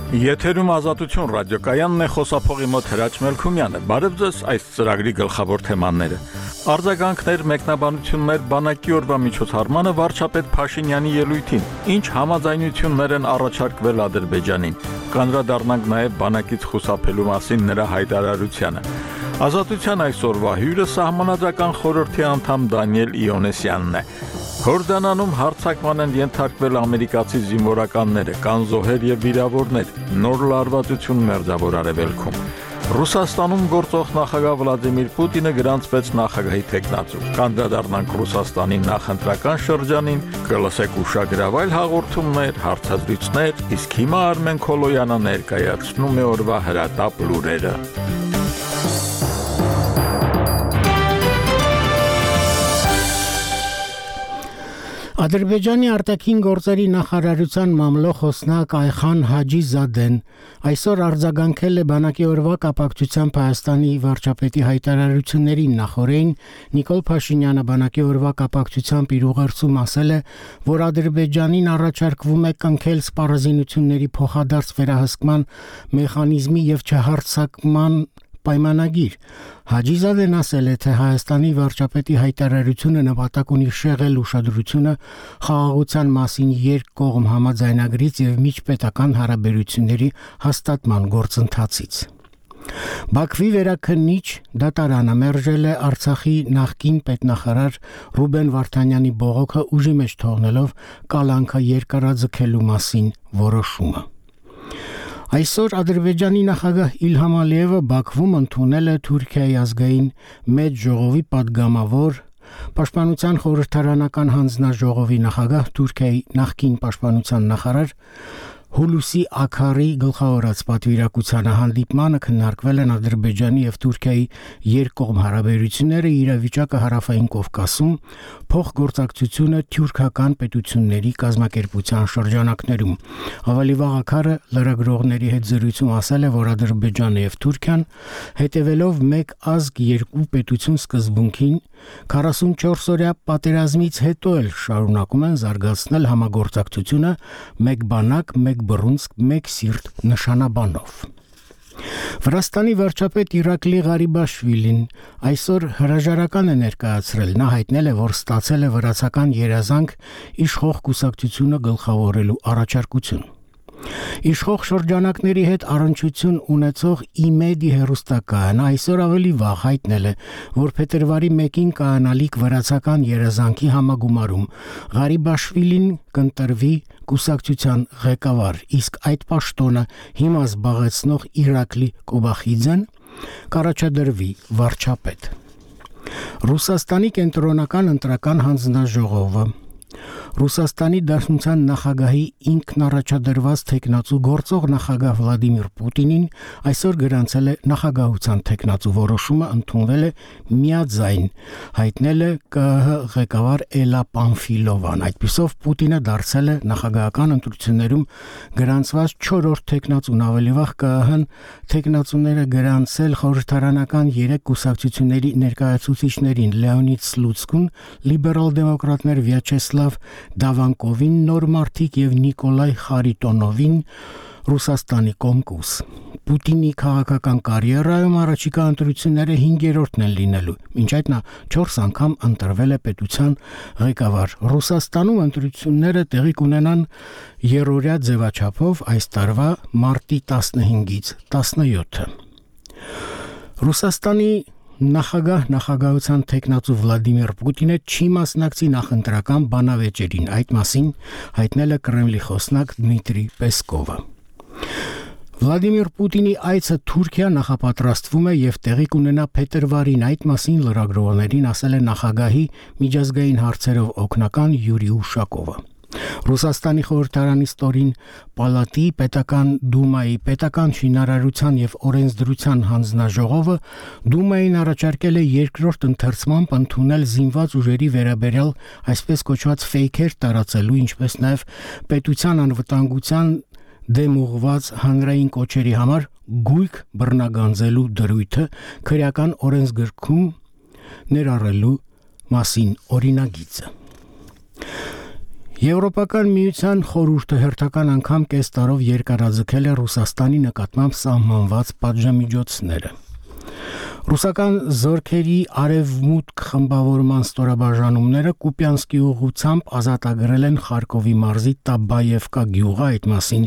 Եթերում ազատություն ռադիոկայանն է, խոսափողի մոտ Հրաչ Մելքումյանը։ Բարև ձեզ, այս ծրագրի գլխավոր թեմաները։ Արձագանքներ, մեկնաբանություններ, բանակի օրվա միջոցառմանը վարչապետ Փաշինյանի ելույթին։ Ինչ համաձայնություններ են առաջարկվել Ադրբեջանին։ Կանդրադառնանք նաև բանակից խուսափելու մասին նրա հայտարարությանը։ Ազատության այսօրվա հյուրը Սահմանադրական խորհրդի անդամ Դանիել Իոնեսյանն է։ Հորդանանում հարձակման են ենթարկվել ամերիկացի զինվորականները, կան զոհեր եւ վիրավորներ, նոր լարվածություն Մերձավոր Արևելքում։ Ռուսաստանում գործող նախագահ Վլադիմիր Պուտինը գրանցվեց նախագահի թեկնածու։ Կանդրադառնանք Ռուսաստանի նախընտրական շրջանին, կլսեք ուշագրավայր հաղորդումներ, հարցազրույցներ, իսկ հիմա Արմեն Քոլոյանը ներկայացնում է օրվա հրատապ լուրերը։ Ադրբեջանի արտաքին գործերի նախարարության մամլոխոսնակ Այխան Հաջիզադեն այսօր արձագանքել է բանակի օրվա կապակցությամբ Հայաստանի վարչապետի հայտարարություններին նախորդին Նիկոլ Փաշինյանը բանակի օրվա կապակցությամբ իր ուղերձում ասել է, որ Ադրբեջանին առաջարկվում է կնքել սպառազինությունների փոխադարձ վերահսկման մեխանիզմի եւ չհարձակման պայմանագիր։ Հաջիզադեն ասել է, թե Հայաստանի վարչապետի հայտարարությունը նպատակ ունի շեղել ուշադրությունը խաղաղության մասին երկկողմ համաձայնագրից եւ միջպետական հարաբերությունների հաստատման գործընթացից։ Բաքվի վերաքննիչ դատարանը մերժել է Արցախի նախկին պետնախարար Ռուբեն Վարդանյանի բողոքը ուժի մեջ թողնելով կալանքը երկարաձգելու մասին որոշումը։ Այսօր Ադրբեջանի նախագահ Իլհամ Ալիևը Բաքվում ընդունել է Թուրքիայի ազգային մեծ ժողովի падգամավոր Պաշտպանության խորհրդարանական հանձնաժողովի նախագահ Թուրքիայի նախկին պաշտպանության նախարար Հուլուսի Աքարի գլխավորած պատվիրակությանը հանդիպմանը քննարկվել են Ադրբեջանի եւ Թուրքիայի երկկողմ հարաբերությունները, իրավիճակը Հարավային Կովկասում, փոխգործակցությունը թյուրքական պետությունների կազմակերպության շրջանակներում։ Ավելի վաղ Աքարը լրագրողների հետ զրույցում ասել է, որ Ադրբեջանը եւ Թուրքիան հետևելով մեկ ազգ երկու պետություն սկզբունքին 44-օրյա պատերազմից հետո էլ շարունակում են զարգացնել համագործակցությունը մեկ բանակ, մեկ բռունցք, մեկ սիրտ նշանաբանով։ Վրաստանի վարչապետ Իրակլի Ղարիբաշվիլին այսօր հրաժարական է ներկայացրել։ Նա հայտնել է, որ ստացել է վրացական երազանք իշխող կուսակցությունը գլխավորելու առաջարկություն։ Իշխող շրջանակների հետ առնչություն ունեցող ԻՄԵԴ-ի հեռուստակայանը այսօր ավելի վաղ հայտնել է, որ փետրվարի 1-ին կայանալիք վրացական երազանքի համագումարում Ղարիբաշվիլին կընտրվի կուսակցության ղեկավար, իսկ այդ պաշտոնը հիմա զբաղեցնող Իրակլի Կոբախիձեն կառաջադրվի վարչապետ։ Ռուսաստանի կենտրոնական ընտրական հանձնաժողովը Ռուսաստանի Դաշնության նախագահի ինքնառաջադրված թեկնածու գործող նախագահ Վլադիմիր Պուտինին այսօր գրանցել է նախագահության թեկնածու որոշումը ընդունվել է միաձայն, հայտնել է ԿՀ ղեկավար Էլա Պանֆիլովան։ Այդպիսով Պուտինը դարձել է նախագահական ընտրություններում գրանցված 4-րդ թեկնածուն։ Ավելի վաղ ԿՀ-ն թեկնածուները գրանցել խորհրդարանական 3 կուսակցությունների ներկայացուցիչներին՝ Լեոնիդ Սլուցկուն, լիբերալ դեմոկրատներ Վյաչեսլավ Դավանկովին, Նոր մարդիկ եւ Նիկոլայ Խարիտոնովին Ռուսաստանի Կոմկուս։ Պուտինի քաղաքական կարիերայում առաջիկա ընտրությունները 5-րդն են լինելու։ Մինչ այդ նա 4 անգամ ընտրվել է պետության ղեկավար։ Ռուսաստանում ընտրությունները տեղի կունենան երրորդյա ձևաչափով այս տարվա մարտի 15-ից 17-ը։ Ռուսաստանի նախագահության թեկնածու Վլադիմիր Պուտինը չի մասնակցի նախընտրական բանավեճերին, այդ մասին հայտնել է Կրեմլի խոսնակ Դմիտրի Պեսկովը։ Վլադիմիր Պուտինի այցը Թուրքիա նախապատրաստվում է եւ տեղի կունենա փետրվարին, այդ մասին լրագրողներին ասել է նախագահի միջազգային հարցերով օգնական Յուրի Ուշակովը։ Ռուսաստանի խորհրդարանի ստորին պալատի պետական դումայի պետական շինարարության եւ օրենսդրության հանձնաժողովը դումային առաջարկել է երկրորդ ընթերցմամբ ընդունել զինված ուժերի վերաբերյալ այսպես կոչված ֆեյքեր տարածելու, ինչպես նաեւ պետության անվտանգության դեմ ուղղված հանրային կոչերի համար գույք բռնագանձելու դրույթը քրեական օրենսգրքում ներառելու մասին օրինագիծը։ Եվրոպական միության խորհուրդը հերթական անգամ կես տարով երկարաձգել է Ռուսաստանի նկատմամբ սահմանված պատժամիջոցները։ Ռուսական զորքերի արևմուտք խմբավորման ստորաբաժանումները Կուպյանսկի ուղղությամբ ազատագրել են Խարկովի մարզի Տաբայևկա գյուղը, այդ մասին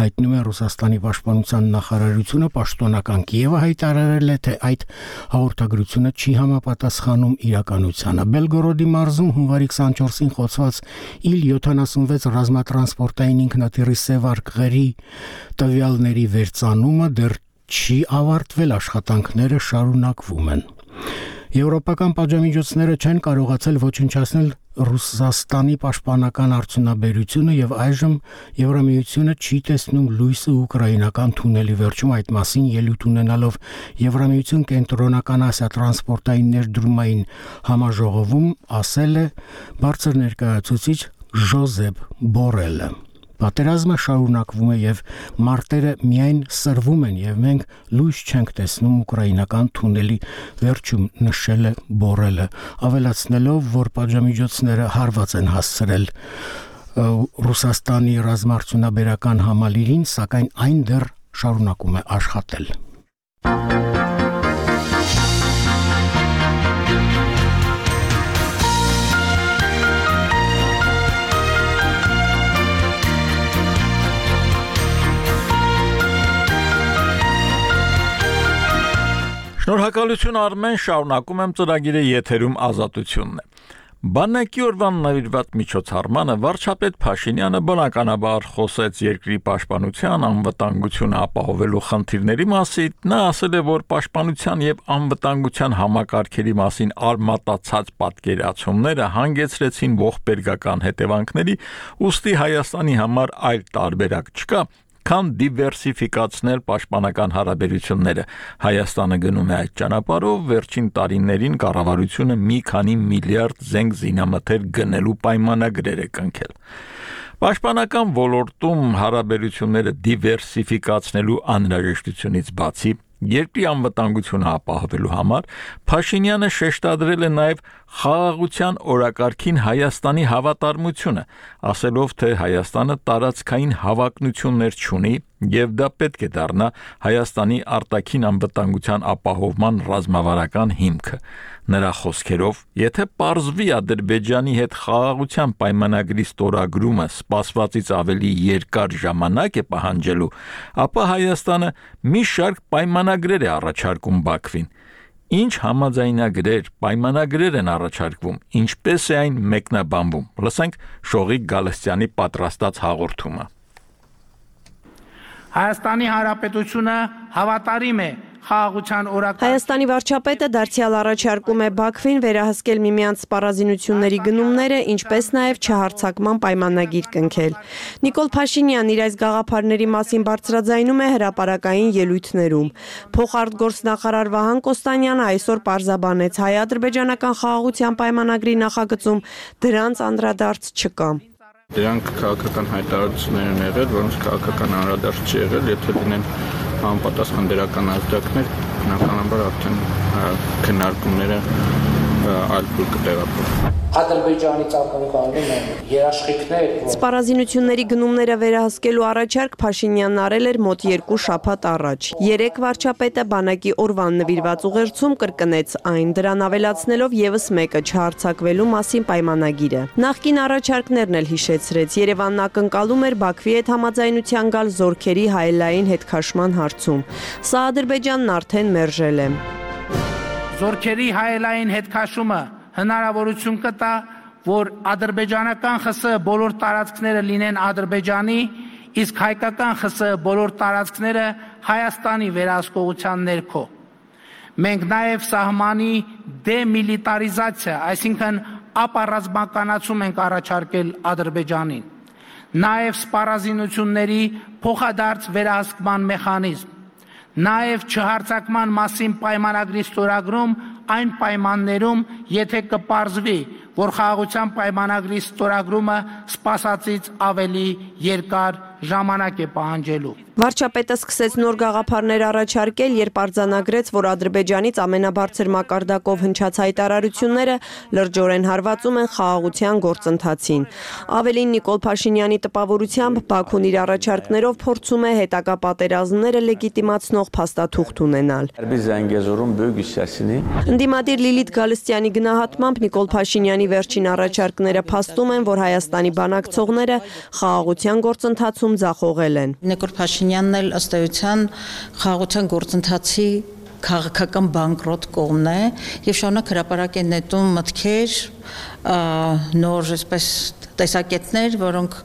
հայտնում է Ռուսաստանի պաշտպանության նախարարությունը, պաշտոնական Կիևը հայտարարել է, թե այդ հաղորդագրությունը չի համապատասխանում իրականությանը։ Բելգորոդի մարզում հունվարի 24-ին խոցված Il-76 ռազմատրանսպորտային ինքնաթիռի սև արկղերի տվյալների վերծանումը դեռ չի ավարտվել, աշխատանքները շարունակվում են։ Եվրոպական պատժամիջոցները չեն կարողացել ոչնչացնել Ռուսաստանի պաշտպանական արդյունաբերությունը եւ այժմ Եվրամիությունը չի տեսնում լույսը ուկրաինական թունելի վերջում, այդ մասին ելույթ ունենալով Եվրամիություն կենտրոնական Ասիա տրանսպորտային ներդրումային համաժողովում ասել է բարձր ներկայացուցիչ Ժոզեփ Բորելը։ Պատերազմը շարունակվում է եւ մարտերը միայն սրվում են եւ մենք լույս չենք տեսնում ուկրաինական թունելի վերջում, նշել է Բորելը, ավելացնելով, որ պատժամիջոցները հարված են հասցրել Ռուսաստանի ռազմաարդյունաբերական համալիրին, սակայն այն դեռ շարունակում է աշխատել։ Շնորհակալություն Արմեն, շարունակում եմ ծրագիրը եթերում ազատությունն է։ Բանակի օրվան նվիրված միջոցառմանը վարչապետ Փաշինյանը բնականաբար խոսեց երկրի պաշտպանության, անվտանգությունը ապահովելու խնդիրների մասին, նա ասել է, որ պաշտպանության եւ անվտանգության համակարգերի մասին արմատացած պատկերացումները հանգեցրեցին ողբերգական հետևանքների, ուստի Հայաստանի համար այլ տարբերակ չկա, քան դիվերսիֆիկացնել պաշտպանական հարաբերությունները։ Հայաստանը գնում է այդ ճանապարհով, վերջին տարիներին կառավարությունը մի քանի միլիարդ զենք զինամթեր գնելու պայմանագրեր է կնքել։ Պաշտպանական ոլորտում հարաբերությունները դիվերսիֆիկացնելու անհրաժեշտությունից բացի երկրի անվտանգությունը ապահովելու համար Փաշինյանը շեշտադրել է նաև խաղաղության օրակարգին Հայաստանի հավատարմությունը, ասելով, թե Հայաստանը տարածքային հավակնություններ չունի եւ դա պետք է դառնա Հայաստանի արտաքին անվտանգության ապահովման ռազմավարական հիմքը։ Նրա խոսքերով, եթե պարզվի Ադրբեջանի հետ խաղաղության պայմանագրի ստորագրումը սպասվածից ավելի երկար ժամանակ է պահանջելու, ապա Հայաստանը մի շարք պայմանագրեր է առաջարկում Բաքվին։ Ինչ համաձայնագրեր, պայմանագրեր են առաջարկվում, ինչպես է այն մեկնաբանվում։ Լսենք Շողիկ Գալստյանի պատրաստած հաղորդումը։ Հայաստանի Հանրապետությունը հավատարիմ է խաղաղության օրակարգին։ Հայաստանի վարչապետը դարձյալ առաջարկում է Բաքվին վերահսկել միմյանց սպառազինությունների գնումները, ինչպես նաև չհարձակման պայմանագիր կնքել։ Նիկոլ Փաշինյանն իր այս գաղափարների մասին բարձրաձայնում է հրապարակային ելույթներում։ Փոխարտգործնախարար Վահան Կոստանյանը այսօր պարզաբանեց, հայ-ադրբեջանական խաղաղության պայմանագրի նախագծում դրանց անդրադարձ չկա։ Դրանք քաղաքական հայտարարություններ են եղել, որոնց քաղաքական անդրադարձ չի եղել, եթե լինեն համապատասխան դրական ազդակներ, բնականաբար արդեն քննարկումները այլ փուլ կտեղափոխվեն։ Ադրբեջանի ցանկանում են երաշխիքներ, Սպառազինությունների գնումները վերահսկելու առաջարկ Փաշինյանն արել էր մոտ 2 շաբաթ առաջ։ Երեք վարչապետը բանակի օրվան նվիրված ուղերձում կրկնեց այն, դրան ավելացնելով եւս մեկը չհարձակվելու մասին պայմանագիրը։ Նախկին առաջարկներն էլ հիշեցրեց, Երևանն ակնկալում էր Բաքվի հետ համաձայնության գալ զորքերի հայելային հետքաշման հարցում։ Սա Ադրբեջանն արդեն մերժել է։ Զորքերի հայելային հետքաշումը հնարավորություն կտա, որ ադրբեջանական ԽՍՀ բոլոր տարածքները լինեն Ադրբեջանի, իսկ հայկական ԽՍՀ բոլոր տարածքները Հայաստանի վերահսկողության ներքո։ Մենք նաև սահմանի դեմիլիտարիզացիա, այսինքն ապառազմականացում ենք առաջարկել Ադրբեջանին։ Նաև սպառազինությունների փոխադարձ վերահսկման մեխանիզմ։ Նաև չհարձակման մասին պայմանագրի ստորագրում այն պայմաններում, եթե կպարզվի, որ խաղաղության պայմանագրի ստորագրումը սպասածից ավելի երկար ժամանակ է պահանջելու։ Վարչապետը սկսեց նոր գաղափարներ առաջարկել, երբ արձանագրեց, որ Ադրբեջանից ամենաբարձր մակարդակով հնչած հայտարարությունները լրջորեն հարվածում են խաղաղության գործընթացին։ Ավելին, Նիկոլ Փաշինյանի տպավորությամբ Բաքուն իր առաջարկներով փորձում է հետագա պատերազմները լեգիտիմացնող փաստաթուղթ ունենալ։ Ընդդիմադիր Լիլիթ Գալստյանի գնահատմամբ Նիկոլ Փաշինյանի վերջին առաջարկները փաստում են, որ Հայաստանի բանակցողները խաղաղության գործընթացում ձախողել են։ Նիկոլ Փաշինյանն էլ ըստ էության խաղաղության գործընթացի քաղաքական բանկրոտ կողմն է եւ շարունակ հրապարակ են նետում մտքեր, նոր այսպես տեսակետներ, որոնք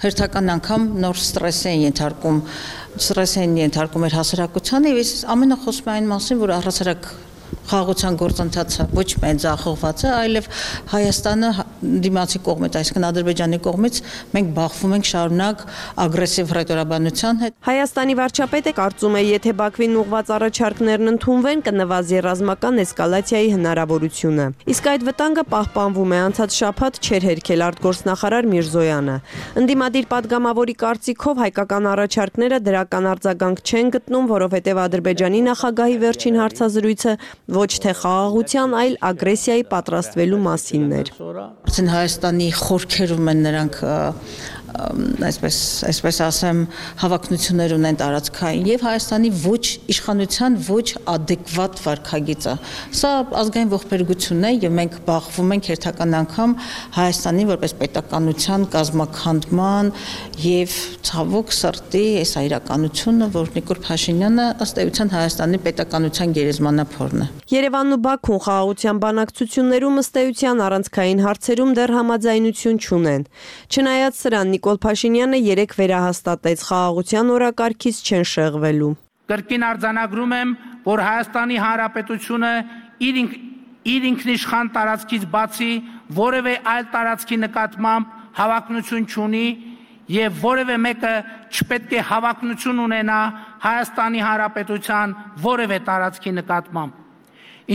հերթական անգամ նոր ստրես են ենթարկում էր հասարակությանը եւ ամենը խոսում է այն մասին, որ առհասարակ խաղաղության գործընթացը ոչ միայն ձախողված է, այլև Հայաստանը դիմացի կողմից, այսինքն Ադրբեջանի կողմից մենք բախվում ենք շարունակ ագրեսիվ հռետորաբանության հետ։ Հայաստանի վարչապետը կարծում է, եթե Բաքվին ուղղված առաջարկներն ընդունվեն, կնվազի ռազմական էսկալացիայի հնարավորությունը։ Իսկ այդ վտանգը պահպանվում է, անցած շաբաթ չէր հերքել արտգործնախարար Միրզոյանը։ Ընդդիմադիր падգամավորի կարծիքով հայկական առաջարկները դրական արձագանք չեն գտնում, որովհետև Ադրբեջանի նախագահի վերջին հարցազրույցը ոչ թե խաղաղության, այլ ագրեսիայի պատրաստվելու մասինն էր։ Արդեն Հայաստանի խորքերում են նրանք այսպես ասեմ հավակնություններ ունեն տարածքային եւ Հայաստանի ոչ իշխանության ոչ adekvat վարքագիծը։ Սա ազգային ողբերգություն է եւ մենք բախվում ենք հերթական անգամ Հայաստանի որպես պետականության կազմաքանդման եւ ցավոք սրտի այս իրականությունը, որ Նիկոլ Փաշինյանը ըստ էության Հայաստանի պետականության գերեզմանափորն է։ Երևանն ու Բաքուն խաղաղության բանակցություններում ըստ էության առանցքային հարցերում դեռ համաձայնություն չունեն։ Չնայած սրան Նիկոլ Փաշինյանը երեկ վերահաստատեց խաղաղության օրակարգից չեն շեղվելու։ Կրկին արձանագրում եմ, որ Հայաստանի Հանրապետությունը իր ինքնիշխան տարածքից բացի որևէ այլ տարածքի նկատմամբ հավակնություն չունի եւ որևէ մեկը չպետք է հավակնություն ունենա Հայաստանի Հանրապետության որևէ տարածքի նկատմամբ։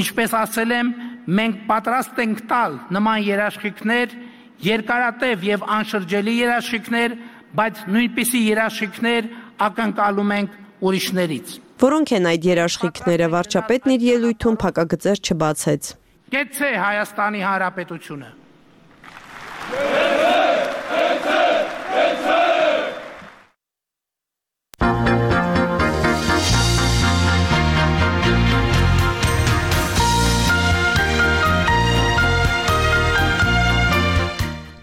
Ինչպես ասել եմ, մենք պատրաստ ենք տալ նման երաշխիքներ, երկարատև եւ անշրջելի երաշխիքներ, բայց նույնպիսի երաշխիքներ ակնկալում ենք ուրիշներից։ Որոնք են այդ երաշխիքները, վարչապետն իր ելույթում փակագծեր չբացեց։ Կեցցե Հայաստանի Հանրապետությունը։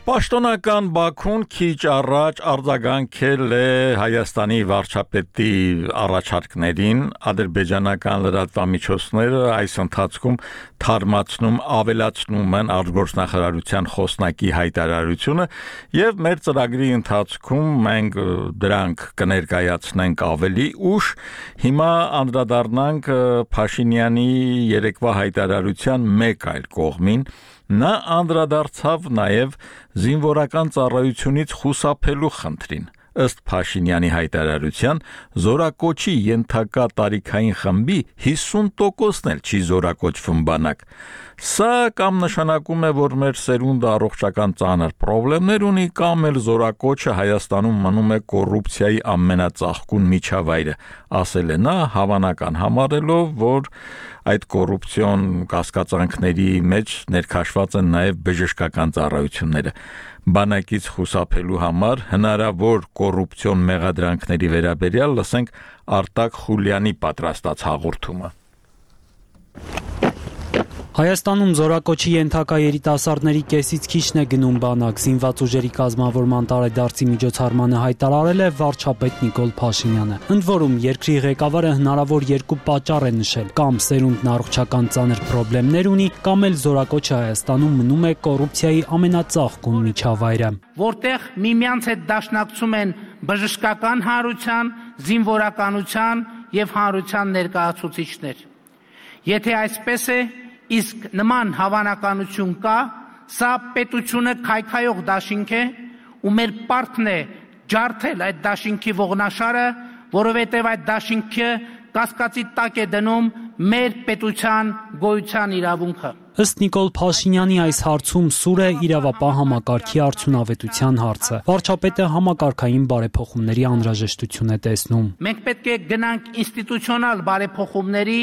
Պաշտոնական Բաքուն քիչ առաջ արձագանքել է Հայաստանի վարչապետի առաջարկներին, ադրբեջանական լրատվամիջոցները այս ընթացքում թարմացնում ավելացնում են արտգործնախարարության խոսնակի հայտարարությունը եւ մեր ծրագրի ընթացքում մենք դրանք կներկայացնենք ավելի ուշ, հիմա անդրադառնանք Փաշինյանի երեկվա հայտարարության մեկ այլ կողմին։ Նա անդրադարձավ նաև զինվորական ծառայությունից խուսափելու խնդրին։ Ըստ Փաշինյանի հայտարարության, զորակոչի ենթակա տարիքային խմբի 50%-ն էլ չի զորակոչվում բանակ։ Սա կամ նշանակում է, որ մեր սերունդը առողջական ծանր խնդիրներ ունի, կամ էլ զորակոչը Հայաստանում մնում է կոռուպցիայի ամենածաղկուն միջավայրը, ասել է նա, հավանական համարելով, որ այդ կոռուպցիոն կասկածանքների մեջ ներքաշված են նաև բժշկական ծառայությունները։ Բանակից խուսափելու համար հնարավոր կոռուպցիոն մեղադրանքների վերաբերյալ լսենք Արտակ Խուլյանի պատրաստած հաղորդումը։ Հայաստանում զորակոչի ենթակա երիտասարդների կեսից քիչն է գնում բանակ, զինված ուժերի կազմավորման տարեդարձի միջոցառմանը հայտարարել է վարչապետ Նիկոլ Փաշինյանը։ Ընդ որում, երկրի ղեկավարը հնարավոր երկու պատճառ է նշել՝ կամ սերունդն առողջական ծանր խնդիրներ ունի, կամ էլ զորակոչը Հայաստանում մնում է կոռուպցիայի ամենածաղկուն միջավայրը։ Որտեղ միմյանց հետ դաշնակցում են բժշկական հանրության, զինվորականության եւ հանրության ներկայացուցիչներ։ Եթե այսպես է, իսկ նման հավանականություն կա, սա պետությունը քայքայող դաշինք է, ու մեր պարտքն է ջարդել այդ դաշինքի ողնաշարը, որովհետև այդ դաշինքը կասկածի տակ է դնում մեր պետության գոյության իրավունքը։ Ըստ Նիկոլ Փաշինյանի այս հարցում սուր է իրավապահ համակարգի արդյունավետության հարցը։ Վարչապետը համակարգային բարեփոխումների անհրաժեշտություն է տեսնում։ Մենք պետք է գնանք ինստիտուցիոնալ բարեփոխումների,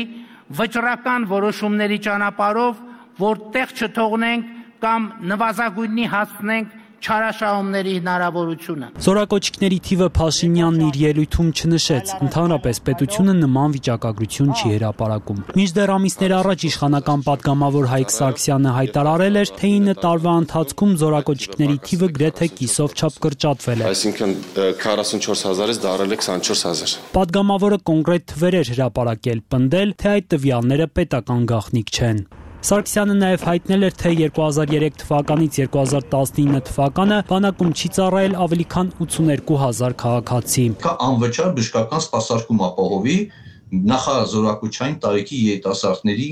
վճռական որոշումների ճանապարհով, որ տեղ չթողնենք կամ նվազագույնի հասնենք չարաշահումների հնարավորությունը։ Զորակոչիկների թիվը Փաշինյանն իր ելույթում չնշեց, ընդհանրապես պետությունը նման վիճակագրություն չի հրապարակում։ Մինչդեռ ամիսներ առաջ իշխանական падգամավոր Հայկ Սարգսյանը հայտարարել էր, թե 9 տարվա ընթացքում զորակոչիկների թիվը գրեթե կիսով չափ կրճատվել է։ Այսինքն 44000-ից դարել է 24000։ Падգամավորը կոնկրետ թվեր էր հրապարակել, պնդել, թե այդ տվյալները պետական գաղտնիք չեն։ Սարգսյանը նաև հայտնել էր, թե 2003 թվականից 2019 թվականը բանակում չի ծառայել ավելի քան 82000 քաղաքացի։ Կա անվճար բժշկական սպասարկում ապահովի նախազորակոչային տարիքի երիտասարդների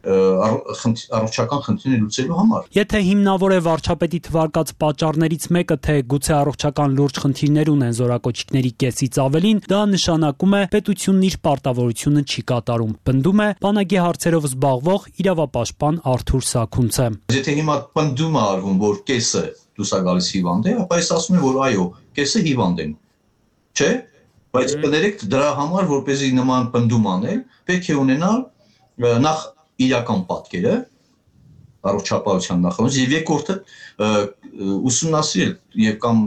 առողջական խնդիրները լուծելու համար։ Եթե հիմնավոր է վարչապետի թվարկած պատճառներից մեկը, թե գուցե առողջական լուրջ խնդիրներ ունեն զորակոչիկների կեսից ավելին, դա նշանակում է պետությունն իր պարտավորությունը չի կատարում, պնդում է բանակի հարցերով զբաղվող իրավապաշտպան Արթուր Սաքունցը։ Եթե հիմա պնդում է արվում, որ կեսը դուրս է գալիս հիվանդ է, ապա ես ասում եմ, որ այո, կեսը հիվանդ են։ Չէ՞։ Բայց կներեք դրա համար, որպեսզի նման պնդում անել, պետք է ունենալ նախ իրական պատկերը առողջապահության նախարարությունից եւ երկրորդը ուսումնասիրել եւ կամ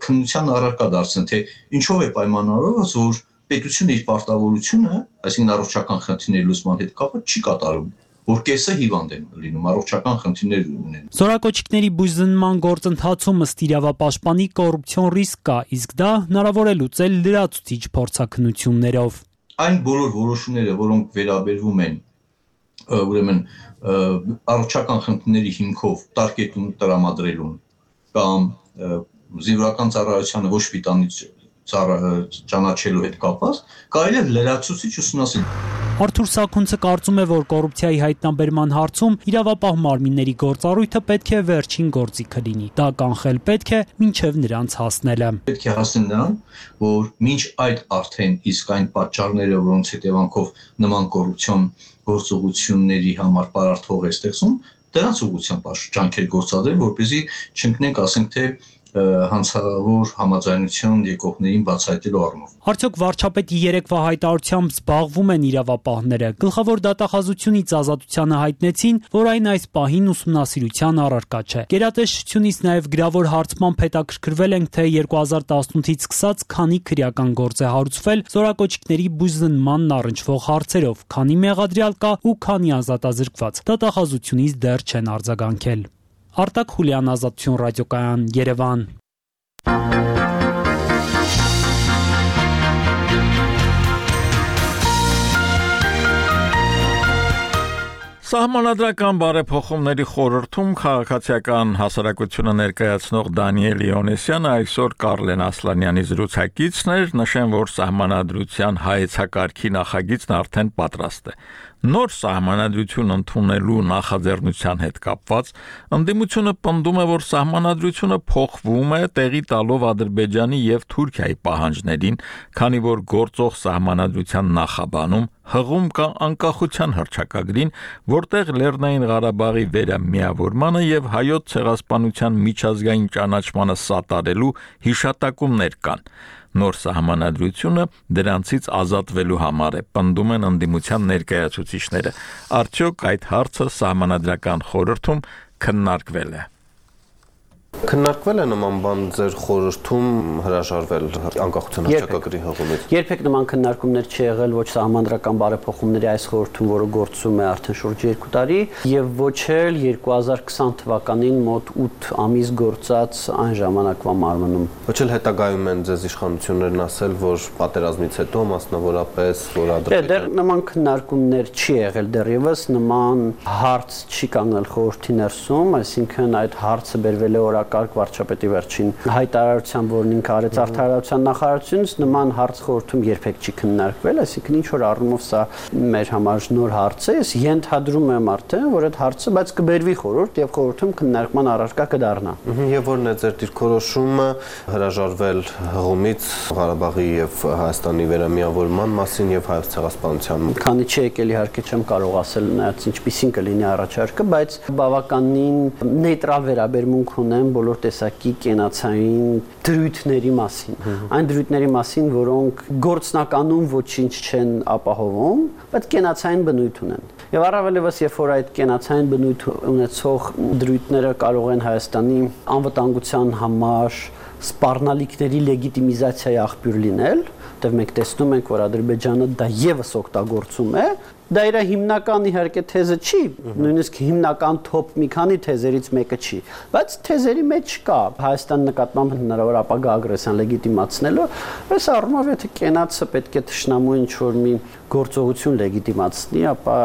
քննության առարկա դարձնել, թե ինչով է պայմանավորված, որ պետությունը իր պարտավորությունը, այսինքն առողջական խնդիրների լուծման հետ կապված չի կատարում, որ կեսը հիվանդ են լինում, առողջական խնդիրներ ունեն։ Զորակոչիկների բուժզնման գործընթացում ըստ իրավապաշտպանի կոռուպցիոն ռիսկ կա, իսկ դա հնարավոր է լուծել լրացուցիչ փորձաքննություններով։ Այն բոլոր որոշումները, որոնք վերաբերվում են ուրեմն առողջական խնդիրների հիմքով տարկետում տրամադրելուն կամ զինվորական ծառայությանը ոչ պիտանի ճանաչելու հետ կապված, կարելի է լրացուցիչ ուսումնասիրել։ Արթուր Սաքունցը կարծում է, որ կոռուպցիայի հայտնաբերման հարցում իրավապահ մարմինների գործառույթը պետք է վերջին գործիքը լինի։ Դա կանխել պետք է մինչև նրանց հասնելը։ Պետք է հասնել նրան, որ մինչ այդ արդեն իսկ այն պատճառները, որոնց հետևանքով նման կոռուպցիոն գործողությունների համար պարարտվող է ստեղծում, դրանց ուղղությամբ ջանքեր գործադրել, որպեսզի չընկնենք, ասենք թե հանցավոր համաձայնություն եկողներին բացահայտելու առումով։ Արդյոք վարչապետի երեկվա հայտարարությամբ զբաղվում են իրավապահները։ Գլխավոր դատախազությունից ազատությանը հայտնեցին, որ այն այս պահին ուսումնասիրության առարկա չէ։ Գերատեսչությունից նաև գրավոր հարցմամբ հետաքրքրվել ենք, թե 2018-ից սկսած քանի քրեական գործ է հարուցվել զորակոչիկների բուժզնմանն առնչվող հարցերով, քանի մեղադրյալ կա ու քանի ազատազրկված։ Դատախազությունից դեռ չեն արձագանքել։ Արտակ Խուլյան, Ազատություն ռադիոկայան, Երևան։ Սահմանադրական բարեփոխումների խորհրդում քաղաքացիական հասարակությունը ներկայացնող Դանիել Իոնեսյանը այսօր Կարլեն Ասլանյանի զրուցակիցն էր, նշեն, որ սահմանադրության հայեցակարգի նախագիծն արդեն պատրաստ է։ Նոր սահմանադրություն ընդունելու նախաձեռնության հետ կապված ընդդիմությունը պնդում է, որ սահմանադրությունը փոխվում է տեղի տալով Ադրբեջանի եւ Թուրքիայի պահանջներին, քանի որ գործող սահմանադրության նախաբանում հղում կա անկախության հռչակագրին, որտեղ Լեռնային Ղարաբաղի վերամիավորմանը եւ հայոց ցեղասպանության միջազգային ճանաչմանը սատարելու հիշատակումներ կան։ Նոր սահմանադրությունը դրանցից ազատվելու համար է, պնդում են ընդդիմության ներկայացուցիչները։ Արդյոք այդ հարցը սահմանադրական խորհրդում քննարկվել է։ Քննարկվել է նման բան ձեր խորհրդում հրաժարվել անկախության հռչակագրի հղումից։ Երբեք նման քննարկումներ չի եղել ոչ սահմանադրական բարեփոխումների այս խորհրդում, որը գործում է արդեն շուրջ 2 տարի, եւ ոչ էլ 2020 թվականին մոտ 8 ամիս գործած այն ժամանակվա մարմնում։ Ոչ էլ հետագայում են ձեզ իշխանություններն ասել, որ պատերազմից հետո մասնավորապես որ Դեռ նման քննարկումներ չի եղել դեռևս, նման հարց չի կանգնել խորհրդի ներսում, այսինքն այդ հարցը բերվել է օրակարգ վարչապետի վերջին հայտարարության, որն ինքը արեց արդարացության նախարարությունից, նման հարց խորհրդում երբեք չի քննարկվել, այսինքն ինչ որ առումով սա մեր համար նոր հարց է, ես ենթադրում եմ արդեն, որ այդ հարցը բայց կբերվի խորհուրդ եւ խորհրդում քննարկման առարկա կդառնա։ Եվ որն է ձեր դիրքորոշումը հրաժարվել հղումից Ղարաբաղի եւ Հայաստանի վերամիավորման մասին եւ հայոց ցեղասպանության։ Քանի չի եկել իհարկե չեմ կարող ասել նայած ինչպիսին կլինի առաջարկը, բայց բավականին նեյտրալ վերաբերմունք ունեմ բոլոր տեսակի կենացային դրույթների մասին։ Այն դրույթների մասին, որոնք գործնականում ոչինչ չեն ապահովում, բայց կենացային բնույթ ունեն։ Եվ առավելևս երբ որ այդ կենացային բնույթ ունեցող դրույթները կարող են Հայաստանի անվտանգության համար սպառնալիքների լեգիտիմիզացիայի աղբյուր լինել, որտեղ մենք տեսնում ենք, որ Ադրբեջանը դա եւս օգտագործում է, դա իր հիմնական իհարկե թեզը չի, նույնիսկ հիմնական top մի քանի թեզերից մեկը չի, բայց թեզերի մեջ կա Հայաստանի նկատմամբ հնարավոր ապագա ագրեսիան լեգիտիմացնելու, այս առումով եթե կենացը պետք է թշնամու ինչ-որ մի գործողություն լեգիտիմացնի, ապա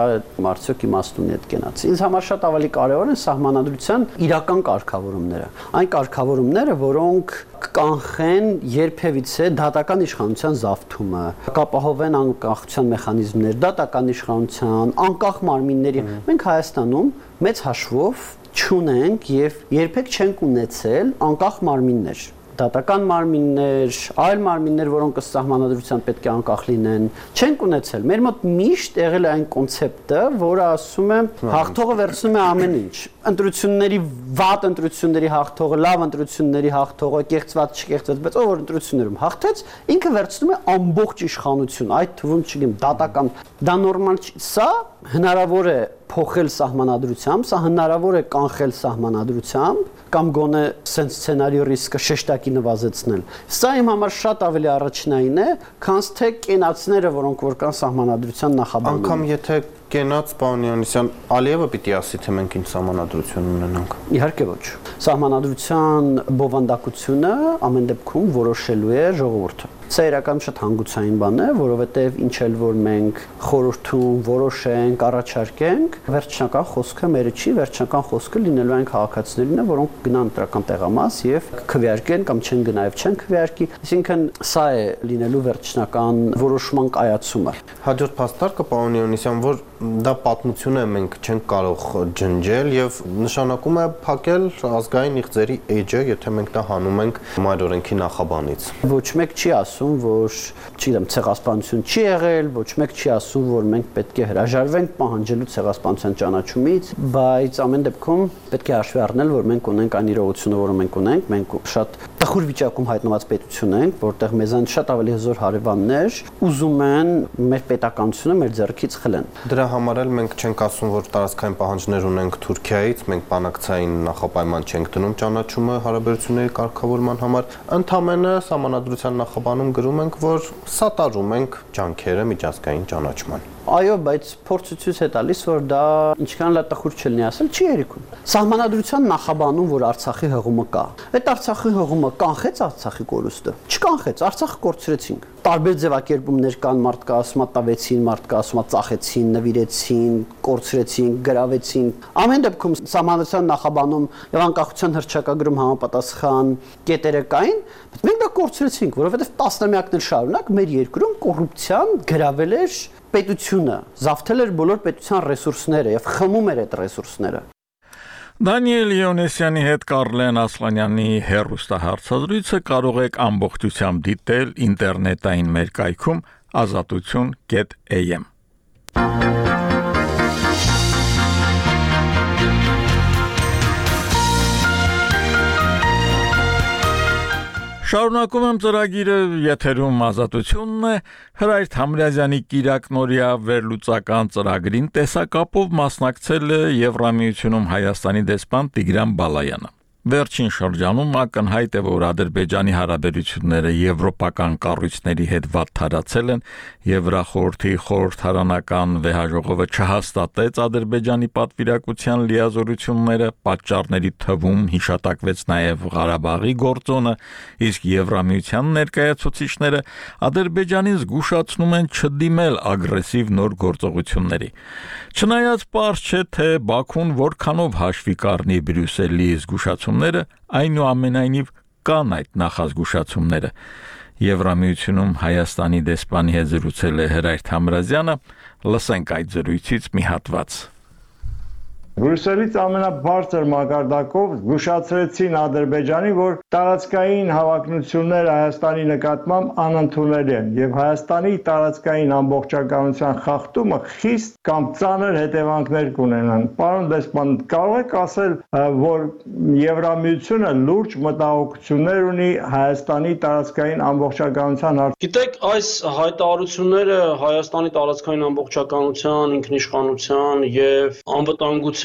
մարդիկ իմաստ ունի այդ կենացը։ Ինձ համար շատ ավելի կարևոր են սահմանադրության իրական կարգավորումները, այն կարգավորումները, որոնք կանխեն երբևիցե դատական իշխանության զավթումը, կապահովեն անկախության մեխանիզմներ, դատական իշխանության, անկախ մարմինների։ Մենք Հայաստանում մեծ հաշվով չունենք եւ երբեք չենք ունեցել անկախ մարմիններ։ Դատական մարմիններ, այլ մարմիններ, որոնք ըստ սահմանադրության պետք է անկախ լինեն, չենք ունեցել։ Մեր մոտ միշտ եղել է այն կոնցեպտը, որը ասում է հաղթողը վերցնում է ամեն ինչ։ Ընտրությունների վատ ընտրությունների հաղթողը, լավ ընտրությունների հաղթողը, կեղծված, չկեղծված, բայց ով որ ընտրություններում հաղթեց, ինքը վերցնում է ամբողջ իշխանություն, այդ թվում չգիտեմ, դատական, դա նորմալ չի։ Սա հնարավոր է փոխել սահմանադրությամբ, սա հնարավոր է կանխել սահմանադրությամբ կամ գոնե սենց սցենարի ռիսկը շեշտակի նվազեցնել։ Սա իմ համար շատ ավելի առաջնային է, քան թե կենացները, որոնք որ կան սահմանադրության նախաբանում։ Անկամ եթե կենաց պարոն Յովհաննիսյան, Ալիևը պիտի ասի, թե մենք ինչ սահմանադրություն ունենանք։ Իհարկե ոչ։ Սահմանադրության բովանդակությունը ամեն դեպքում որոշելու է ժողովուրդը։ Սա իրականում շատ հանգուցային բան է, որովհետև ինչ էլ որ մենք խորհրդում որոշենք, առաջարկենք, վերջնական խոսքը մերը չի, վերջնական խոսքը լինելու այն քաղաքացիներինը, որոնք գնան ընտրական տեղամաս եւ քվեարկեն կամ չեն գնա եւ չեն քվեարկի, այսինքն սա է լինելու վերջնական որոշման կայացումը։ Հաջորդ փաստարկը պարոն Յովհաննիսյան, որ դա պատմություն է, մենք չենք կարող ջնջել եւ նշանակում է փակել ազգային իղձերի էջը, եթե մենք դա հանում ենք մայր օրենքի նախաբանից։ Ոչ մեկ չի ասում, որ չգիտեմ, ցեղասպանություն չի եղել, ոչ մեկ չի ասում, որ մենք պետք է հրաժարվենք պահանջելու ցեղասպանության ճանաչումից, բայց ամեն դեպքում պետք է հաշվի առնել, որ մենք ունենք այն իրողությունը, որը մենք ունենք, մենք շատ տխուր վիճակում հայտնված պետություն ենք, որտեղ մեզանից շատ ավելի հզոր հարևաններ ուզում են մեր պետականությունը մեր ձեռքից խլեն։ Դրա համար էլ մենք չենք ասում, որ տարածքային պահանջներ ունենք Թուրքիայից, մենք բանակցային նախապայման չենք դնում ճանաչումը հարաբերությունների կարգավորման համար, ընդամենը սահմանադրության նախաբանում գրում ենք, որ սատարում ենք ջանքերը միջազգային ճանաչման։ Այո, բայց փորձը ցույց է տալիս, որ դա ինչքան լա տխուր չլինի ասել, չի երիկում։ Սահմանադրության նախաբանում, որ Արցախի հղումը կա, այդ Արցախի հղումը կանխեց Արցախի կորուստը։ Չկանխեց, Արցախը կորցրեցինք։ Տարբեր ձևակերպումներ կան, մարդկա ասում է տավեցին, մարդկա ասում է ծախեցին, նվիրեցին, կորցրեցին, գրավեցին։ Ամեն դեպքում սահմանադրության նախաբանում եւ անկախության հռչակագրում համապատասխան կետերը կային, բայց մենք դա կորցրեցինք, որովհետեւ տասնամյակներ շարունակ մեր երկրում կոռուպցիան գրավել էր պետությունը, զավթել էր բոլոր պետության ռեսուրսները եւ խմում էր այդ ռեսուրսները։ Դանիել Յովհաննիսյանի հետ Կարլեն Ասլանյանի հեռուստահարցազրույցը կարող եք ամբողջությամբ դիտել ինտերնետային մեր կայքում azatutun.am։ Շարունակում եմ ծրագիրը, եթերում ազատությունն է, Հրայր Թամրազյանի կիրակնորյա վերլուծական ծրագրին տեսակապով մասնակցել է Եվրամիությունում Հայաստանի դեսպան Տիգրան Բալայանը։ Վերջին շրջանում ակնհայտ է, որ Ադրբեջանի հարաբերությունները եվրոպական կառույցների հետ վատթարացել են, Եվրախորհրդի խորհրդարանական վեհաժողովը չհաստատեց Ադրբեջանի պատվիրակության լիազորությունները, պատճառների թվում հիշատակվեց նաև Ղարաբաղի գործոնը, իսկ Եվրամիության ներկայացուցիչները Ադրբեջանին զգուշացնում են չդիմել ագրեսիվ նոր գործողությունների։ Չնայած պարզ չէ, թե Բաքուն որքանով հաշվի կառնի Բրյուսելի զգուշացում զգուշացումները, այնուամենայնիվ կան այդ նախազգուշացումները։ Եվրամիությունում Հայաստանի դեսպանի հետ զրուցել է Հրայր Թամրազյանը, լսենք այդ զրույցից մի հատված։ Բրյուսելից ամենաբարձր մակարդակով զգուշացրեցին Ադրբեջանին, որ տարածքային հավակնությունները Հայաստանի նկատմամբ անընդունելի են եւ Հայաստանի տարածքային ամբողջականության խախտումը խիստ կամ ծանր հետևանքներ կունենան։ Պարոն դեսպան, կարող եք ասել, որ Եվրամիությունը լուրջ մտահոգություններ ունի Հայաստանի տարածքային ամբողջականության հարցում։ Գիտեք, այս հայտարարությունները Հայաստանի տարածքային ամբողջականության, ինքնիշխանության եւ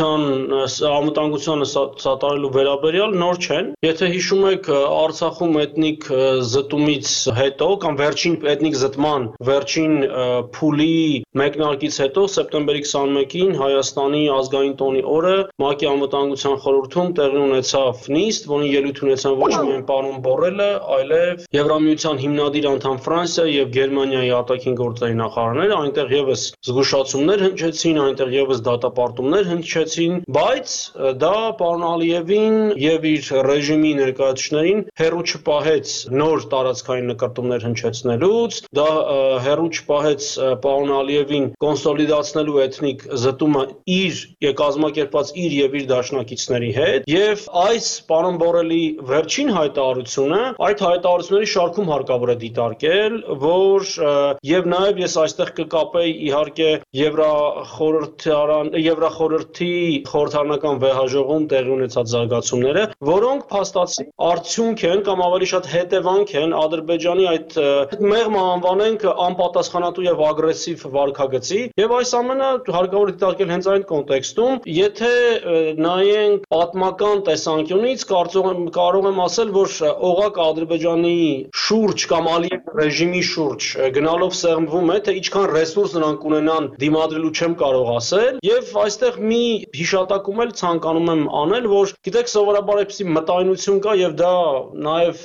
անվտանգությանը սատարելու վերաբերյալ նոր չեն։ Եթե հիշում եք, Արցախում էթնիկ զտումից հետո կամ վերջին էթնիկ զտման վերջին փուլի մեկնարկից հետո սեպտեմբերի 21-ին Հայաստանի ազգային տոնի օրը ՄԱԿ-ի անվտանգության խորհրդում տեղի ունեցավ նիստ, որին ելույթ ունեցան ոչ միայն պարոն Բորելը, այլև Եվրամիության հիմնադիր անդամ Ֆրանսիա եւ Գերմանիայի արտաքին գործերի նախարարները, այնտեղ եւս զգուշացումներ հնչեցին, այնտեղ եւս դատապարտումներ հնչեցին, բայց դա պարոն Ալիևին եւ իր ռեժիմի ներկայացուցիչներին հերու չպահեց նոր տարածքային նկարտումներ հնչեցնելուց, դա հերու չպահեց պարոն Ալիևին կոնսոլիդացնելու էթնիկ զտումը իր կազմակերպած իր եւ իր դաշնակիցների հետ, եւ այս պարոն Բորելի վերջին հայտարարությունը, այդ հայտարարությունների շարքում հարկավոր է դիտարկել, որ եւ նաեւ ես այստեղ կկապեի իհարկե Եվրախորհրդի խորհրդարանական վեհաժողովում տեղի ունեցած զարգացումները, որոնք փաստացի արդյունք են կամ ավելի շատ հետևանք են Ադրբեջանի այդ մեղմ անվանենք անպատասխանատու եւ ագրեսիվ վարքագծի, եւ այս ամենը հարկավոր է դիտարկել հենց այն կոնտեքստում, եթե նայենք պատմական տեսանկյունից, կարող եմ ասել, որ օղակ Ադրբեջանի շուրջ կամ Ալիև ռեժիմի շուրջ գնալով սեղմվում է, թե ինչքան ռեսուրս նրանք ունենան դիմադրելու չեմ կարող ասել, եւ այստեղ մի հիշատակում էլ ցանկանում եմ անել, որ գիտեք սովորաբար այսպիսի մտայնություն կա եւ դա նաեւ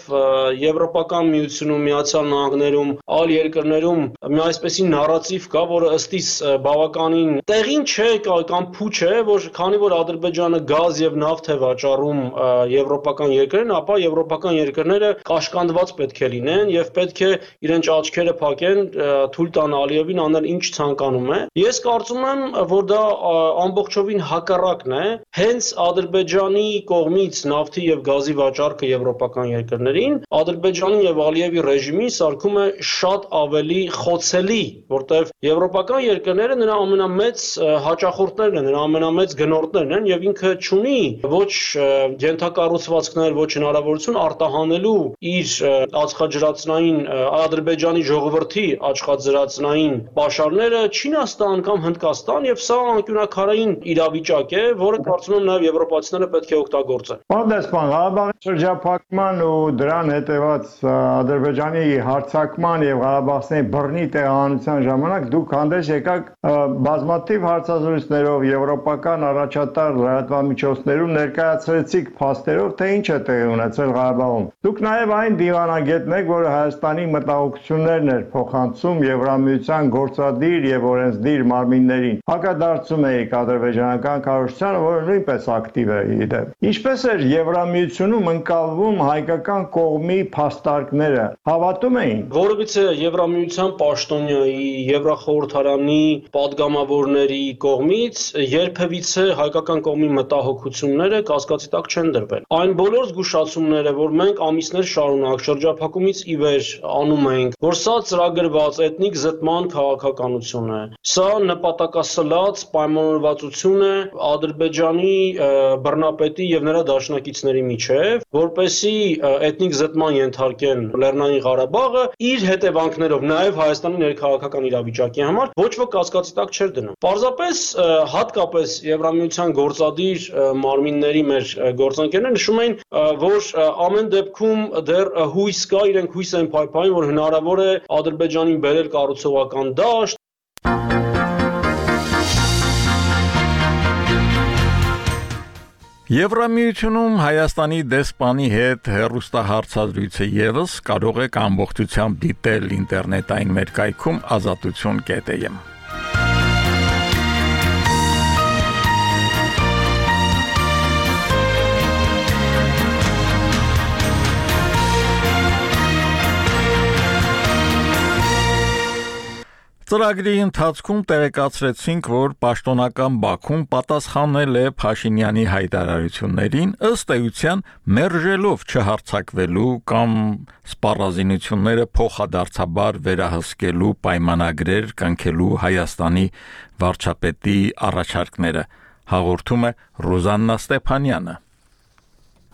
Եվրոպական միությունում, Միացյալ Նահանգներում, այլ երկրներում մի այսպիսի նարատիվ կա, որը ըստիս բավականին տեղին չէ կամ փուչ է, որ քանի որ Ադրբեջանը գազ եւ նավթ է վաճառում եվրոպական երկրներին, ապա եվրոպական երկրները կաշկանդված պետք է լինեն եւ պետք է իրենց աչքերը փակեն, թույլ տան Ալիևին անել ինչ ցանկանում է։ Ես կարծում եմ, որ դա ամբողջովին հակառակն է, հենց Ադրբեջանի կողմից նավթի եւ գազի վաճառքը եվրոպական երկրներին Ադրբեջանի եւ Ալիևի ռեժիմին սարքում է շատ ավելի խոցելի, որտեղ եվրոպական երկրները նրա ամենամեծ հաճախորդներն են, նրա ամենամեծ գնորդներն են եւ ինքը չունի ոչ ենթակառուցվածքներ, ոչ հնարավորություն արտահանելու իր ածխաջրածնային Ադրբեջանի ժողովրդի ածխաջրածնային պաշարները Չինաստան կամ Հնդկաստան եւ սա անկյունաքարային իրավիճակ է, որը կարծում եմ նաեւ եվրոպացիները պետք է օգտագործեն։ Պարոն դեսպան, Ղարաբաղի շրջափակման ու դրան հետևած Ադրբեջանի հարձակման եւ Ղարաբաղցիների բռնի տեղահանության ժամանակ դուք հանդես եկաք բազմաթիվ հարցազրույցներով եվրոպական առաջատար լրատվամիջոցներում ներկայացրեցիք փաստերով, թե ինչ է տեղի ունեցել Ղարաբաղում։ Դուք նաեւ այն դիվանագետն եք, որը Հայաստանի մտահոգություններն էր փոխանցում Եվրամիության գործադիր եւ օրենսդիր մարմիններին։ Հակադարձում եք ադրբեջանական կառույցությանը, որը նույնպես ակտիվ է իդեպ։ Ինչպես էր Եվրամիությունում ընկալվում հայկական կողմի փաստարկները, հավատում էին։ Որովհետեւ Եվրամիության պաշտոնյայի, Եվրախորհրդարանի падգամավորների կողմից երբևիցե հայկական կողմի մտահոգությունները կասկածի տակ չեն դրվել։ Այն բոլոր զգուշացումները, որ մենք ամիսներ շարունակ շրջափակումից ի վեր անում ենք, որ սա ծրագրված էթնիկ զտման քաղաքականություն է, սա նպատակասլաց պայմանավորվածություն է Ադրբեջանի բռնապետի եւ նրա դաշնակիցների միջեւ, որպեսի էթնիկ զտման ենթարկեն Լեռնային Ղարաբաղը իր հետևանքներով նաեւ Հայաստանի ներքաղաքական իրավիճակի համար ոչ ոք կասկածի տակ չէր դնում։ Պարզապես հատկապես Եվրամիության գործադիր մարմինների մեր գործընկերները նշում էին, որ ամեն դեպքում դեռ հույս կա, իրենք հույս են փայփային, որ հնարավոր է Ադրբեջանին բերել կառուցողական դաշտ։ Եվրամիությունում Հայաստանի դեսպանի հետ հեռուստահարցազրույցը եւս կարող եք ամբողջությամբ դիտել ինտերնետային մեր կայքում azatutsun.am Ծրագրի ընթացքում տեղեկացրեցինք, որ պաշտոնական Բաքուն պատասխանել է Փաշինյանի հայտարարություններին, ըստ էության մերժելով չհարձակվելու կամ սպառազինությունները փոխադարձաբար վերահսկելու պայմանագրեր կնքելու Հայաստանի վարչապետի առաջարկները, հաղորդում է Ռուզաննա Ստեփանյանը։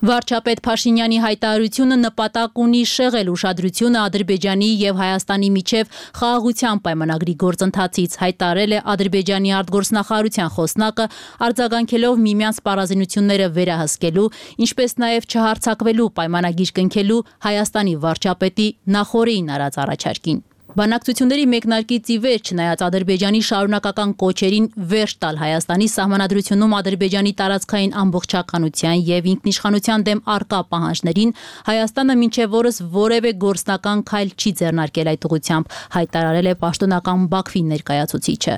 Վարչապետ Փաշինյանի հայտարարությունը նպատակ ունի շեղել ուշադրությունը Ադրբեջանի եւ Հայաստանի միջև խաղաղության պայմանագրի գործընթացից, հայտարարել է Ադրբեջանի արտգործնախարարության խոսնակը, արձագանքելով միմյանց սպառազինությունները վերահսկելու, ինչպես նաեւ չհարձակվելու պայմանագիր կնքելու Հայաստանի վարչապետի նախորդին արած առաջարկին։ Բանակցությունների մեկնարկից ի վեր, չնայած Ադրբեջանի շարունակական կոչերին վերջ տալ Հայաստանի սահմանադրությունում Ադրբեջանի տարածքային ամբողջականության եւ ինքնիշխանության դեմ արկա պահանջներին, Հայաստանը մինչև օրս որևէ գործնական քայլ չի ձեռնարկել այդ ուղղությամբ, հայտարարել է պաշտոնական Բաքվի ներկայացուցիչը։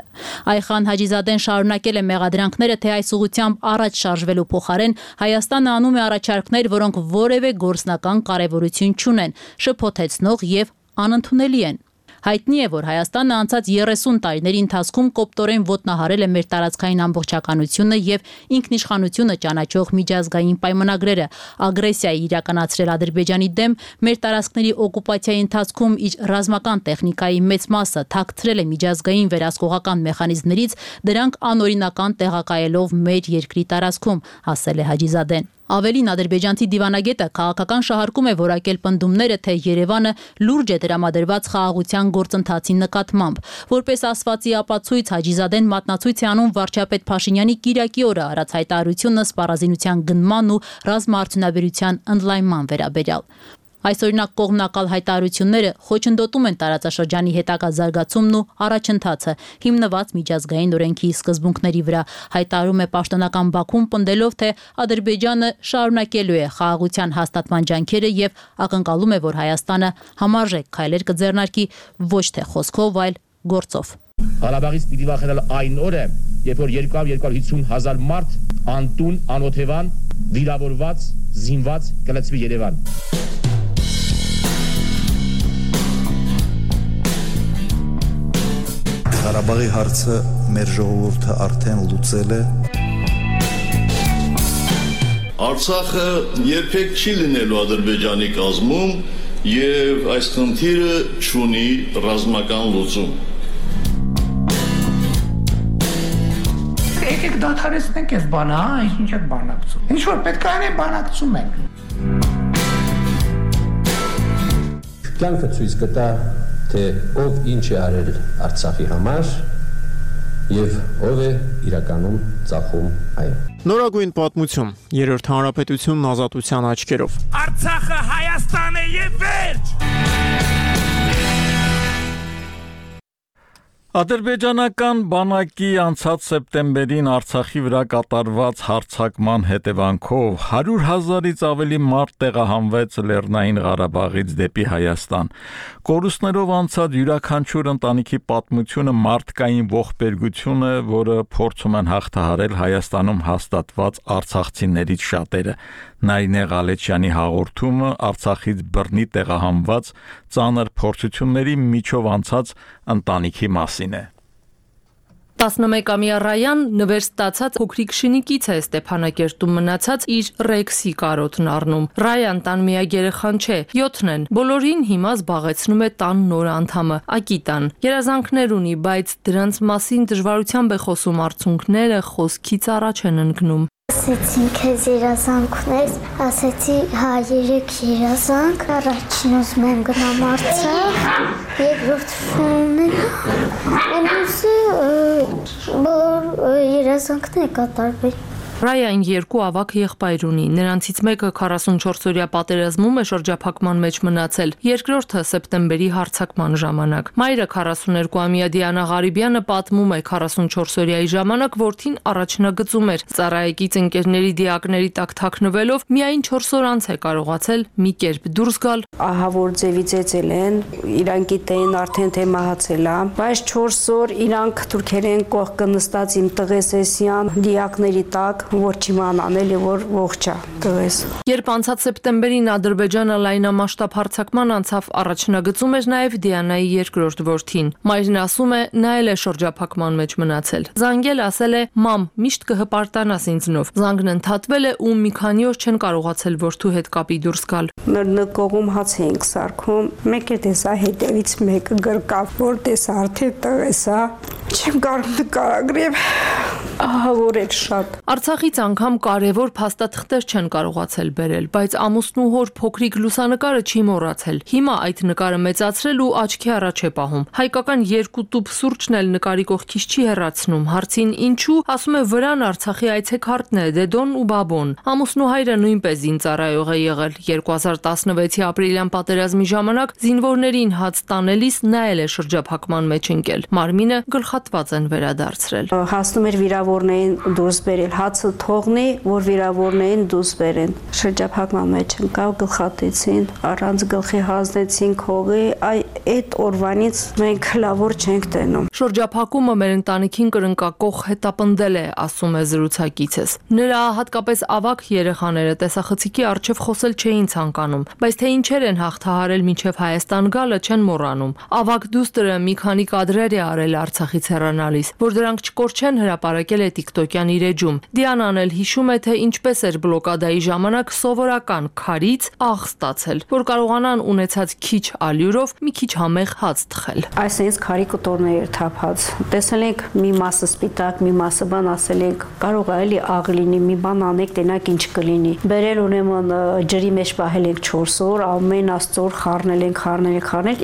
Այխան Հաջիզադեն շարունակել է մեղադրանքները, թե այս ուղղությամբ առաջ շարժվելու փոխարեն Հայաստանը անում է առաջարկներ, որոնք որևէ գործնական կարևորություն չունեն, շփոթեցնող եւ անընդունելի են։ Հայտնի է, որ Հայաստանը անցած 30 տարիների ընթացքում կոպտորեն ոտնահարել է մեր տարածքային ամբողջականությունը եւ ինքնիշխանությունը ճանաչող միջազգային պայմանագրերը, ագրեսիայի իրականացրել Ադրբեջանի դեմ, մեր տարածքների օկուպացիայի ընթացքում իր ռազմական տեխնիկայի մեծ մասը թաքցրել է միջազգային վերահսկողական մեխանիզմներից, դրանք անօրինական տեղակայելով մեր երկրի տարածքում, ասել է Հաջիզադեն։ Ավելին ադրբեջանցի դիվանագետը քաղաքական շահարկում է որակել պնդումները, թե Երևանը լուրջ է տրամադրված խաղաղության գործընթացի նկատմամբ։ Որպես ասվածի ապացույց Հաջիզադեն մատնացույց է անում վարչապետ Փաշինյանի կիրակի օրը արած հայտարարությունը սպառազինության գնման ու ռազմաարդյունաբերության ընդլայնման վերաբերյալ։ Այսօրինակ կողմնակալ հայտարարությունները խոչընդոտում են տարածաշրջանի հետագա զարգացումն ու առաջընթացը, հիմնված միջազգային օրենքի սկզբունքների վրա, հայտարարում է պաշտոնական Բաքուն, պնդելով, թե Ադրբեջանը շարունակելու է խաղաղության հաստատման ջանքերը եւ ակնկալում է, որ Հայաստանը համարժեք քայլեր կձեռնարկի ոչ թե խոսքով, այլ գործով։ Ղարաբաղից պիտի վախենալ այն օրը, երբ որ 250,000 մարդ անտուն, անօթևան, վիրավորված, զինված կլցվի Երևան։ Ղարաբաղի հարցը մեր ժողովուրդը արդեն լուծել է։ Արցախը երբեք չի լինելու Ադրբեջանի կազմում եւ այս խնդիրը չունի ռազմական լուծում։ Եկեք դադարեցնենք այս բանը, ինչ եք բանակցում։ Ինչ որ պետք է անեն բանակցում ենք։ Կյանքը ցույց կտա, թե ով ինչ է արել Արցախի համար եւ ով է իրականում ծախում այն։ Նորագույն պատմություն, Երրորդ հանրապետությունն ազատության աչքերով։ Արցախը Հայաստան է եւ վերջ։ Ադրբեջանական բանակի անցած սեպտեմբերին Արցախի վրա կատարված հարձակման հետևանքով 100,000-ից ավելի մարդ տեղահանվեց Լեռնային Ղարաբաղից դեպի Հայաստան։ Կորուստներով անցած յուրաքանչյուր ընտանիքի պատմությունը մարդկային ողբերգություն է, որը փորձում են հաղթահարել Հայաստանում հաստատված արցախցիներից շատերը։ Նարինե Ղալեչյանի հաղորդումը Արցախից բռնի տեղահանված ծանր փորձությունների միջով անցած ընտանիքի մասին է։ 11-ամյա Ռայան նվեր ստացած փոքրիկ շինիկից է Ստեփանակերտում մնացած իր Ռեքսի կարոտն առնում։ Ռայան տան միակ երեխան չէ, 7-ն են։ Բոլորին հիմա զբաղեցնում է տան նոր անդամը՝ Ակիտան։ Երազանքներ ունի, բայց դրանց մասին դժվարությամբ է խոսում, արցունքները խոսքից առաջ են ընկնում։ Ասեցին քեզ երազանքներ, ասեցի հա 3 երազանք, առաջին ուզում եմ գնամ Արցախ, երկրորդ բոլոր երազանքները կատարվեն։ Ռայան 2 ավագ եղբայր ունի, նրանցից մեկը 44-օրյա պատերազմում է շրջափակման մեջ մնացել, երկրորդը սեպտեմբերի հարձակման ժամանակ։ Մայրը 42-ամյա Դիանա Ղարիբյանը պատմում է 44-օրյայի ժամանակ որդին առաջնագծում էր, ծառայեկից ընկերների դիակների տակ թաքնվելով միայն 4 օր անց է կարողացել մի կերպ դուրս գալ։ Ահա որ ձևի ծեծել են, իրանք գիտեն արդեն թե մահացել է, բայց 4 օր իրանք թուրքերեն կողքը նստած իմ տղեսեսյան դիակների տակ որ չիմանան էլի որ ողջ է տղես։ Երբ անցած սեպտեմբերին Ադրբեջանը լայնամասշտաբ հարձակման անցավ, առաջնագծում էր նաև Դիանայի երկրորդ որդին։ Մայրն ասում է, նա էլ է շրջափակման մեջ մնացել։ Զանգել ասել է. «Մամ, միշտ կհպարտանաս ինձնով»։ Զանգն ընդհատվել է ու մի քանի օր չեն կարողացել որդու հետ կապի դուրս գալ։ Նկողում հաց էինք սարքում, մեկ է տեսա հետևից մեկը գրկավ, որ տեսա արդեն տղես է, չեմ կարող նկարագրեմ, որ էլ շատ։ Արցախից անգամ կարևոր փաստաթղթեր չեն կարողացել բերել, բայց ամուսնու հոր փոքրիկ լուսանկարը չի մոռացել։ Հիմա այդ նկարը մեծացրել ու աչքի առաջ է պահում։ Հայկական 2 տուփ սուրճն էլ նկարի կողքից չի հեռացնում։ Հարցին ինչու, ասում է վրան Արցախի այցեքարտն է Դեդոն ու Բաբոն։ Ամուսնու հայրը նույնպես զինծառայող է եղել։ 2016-ի ապրիլյան պատերազմի ժամանակ զինվորներին հաց տանելիս նա էլ է շրջափակման մեջ ընկել։ Մարմինը գլխատված են վերադարձրել։ Հասնում էր վիրավորներին դուրս բերել, հացը թողնի, որ վիրավորներին դուրս բերեն։ Շրջափակման մեջ ընկավ, գլխատեցին, առանց գլխի հանձնեցին քողի, այդ օրվանից մենք լավոր չենք տենում։ Շրջափակումը մեր ընտանիքին կրնկակող հետապնդել է, ասում է զրուցակիցս։ Նրա հատկապես ավագ երեխաները տեսախցիկի առջև խոսել չէին ցանկանում, բայց թե ինչեր են հաղթահարել մինչև Հայաստան գալը չեն մոռանում։ Ավագ դուստրը մի քանի կադրեր է արել Արցախից հեռանալիս, որ դրանք չկորչեն, հրապարակել է TikTok-յան իր էջում։ Դիանան էլ հիշում է, թե ինչպես էր բլոկադայի ժամանակ սովորական քարից աղ ստացել, որ կարողանան ունեցած քիչ ալյուրով մի քիչ համեղ հաց թխել։ Այսինքն քարի կտորներ էր թափած։ Տեսել ենք մի մասը սպիտակ, մի մասը բան, ասել ենք կարող է էլի աղ լինի, մի բան անեք, տենակ ինչ կլինի։ Բերել ունեմն ջրի մեջ պահել ենք 4 օր, ամեն աստծոր խառնել ենք,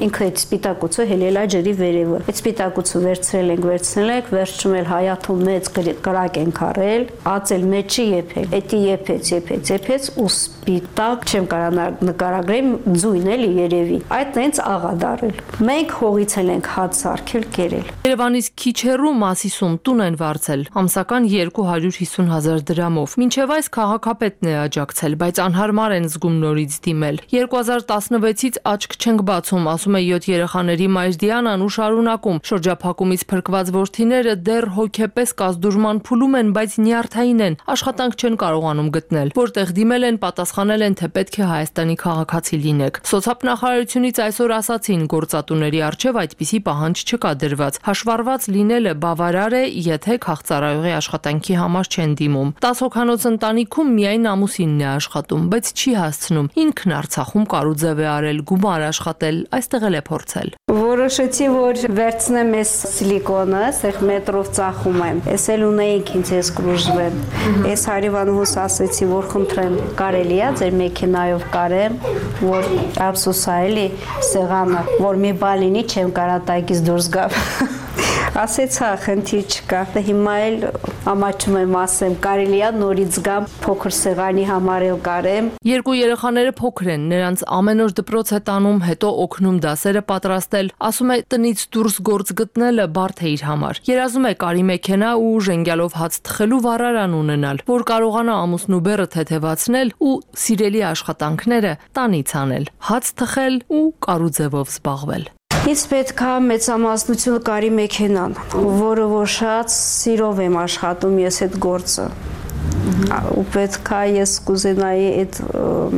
ինքը այդ սպիտակուցը հելել է ջրի վերևը։ Այդ սպիտակուցը վերցրել ենք, վերջում էլ հայաթում մեծ կրակ ենք արել, ածել մեջը եփել։ Էդի եփեց ու սպիտակ, չեմ կարա նկարագրեմ, ձույն էլի երևի։ Այդ տենց աղա դարել։ Մենք հողից ենք հաց սարքել, կերել։ Երևանից քիչ հեռու Մասիսում տուն են վարձել, ամսական 250,000 դրամով։ Մինչև այս քաղաքապետն է աջակցել, բայց անհարմար են զգում նորից դիմել։ 2016-ից աչք չենք բացում, ասում է 7 երեխաների մայր Դիանան ու շարունակում։ Շրջափակումից փրկված որդիները դեռ հոգեպես կազդուրման փուլում են, բայց նյարդային են, աշխատանք չեն կարողանում գտնել։ Որտեղ դիմել են, պատասխանել են, թե պետք է Հայաստանի քաղաքացի լինեք։ Սոցիալնախարարությունից այսօր ասացին, գործատուների առջև այդպիսի պահանջ չկա դրված։ Հաշվառված լինելը բավարար է, եթե քաղցարայողի աշխատանքի համար չեն դիմում։ 10 հոգանոց ընտանիքում միայն ամուսինն է աշխատում, բայց չի հասցնում։ Ինքն Արցախում կարուձև է արել, գումար աշխատել, այստեղ էլ է փորձել։ Որոշեցի, որ վերցնեմ այս սիլիկոնը, այստեղ մետրով ծախում եմ։ Էս էլ ունեինք ինձ ես կրուժվեմ։ Այս հարևանուհուս ասեցի, որ խնդրեմ, կարելի է ձեր մեքենայով կարեմ, որ ափսոսա էլի սեղանը, որ մի բան լինի, չեմ կարա տակից դուրս գամ։ Ասեցա, խնդիր չկա։ Հիմա էլ ամաչում եմ ասեմ, կարելի է նորից գամ, փոքր սեղանի համար էլ կարեմ։ Երկու երեխաները փոքր են, նրանց ամեն օր դպրոց է տանում, հետո օգնում դասերը պատրաստել։ Ասում է, տնից դուրս գործ գտնելը բարդ է իր համար։ Երազում է կարի մեքենա ու ժենգյալով հաց թխելու վառարան ունենալ, որ կարողանա ամուսնու բեռը թեթևացնել ու սիրելի աշխատանքները տանից անել, հաց թխել ու կարուձևով զբաղվել։ Ինձ պետք է մեծամասնություն կարի մեքենան, որը որ շատ սիրով եմ աշխատում ես այդ գործը։ Ու պետք է ես կուզենայի այդ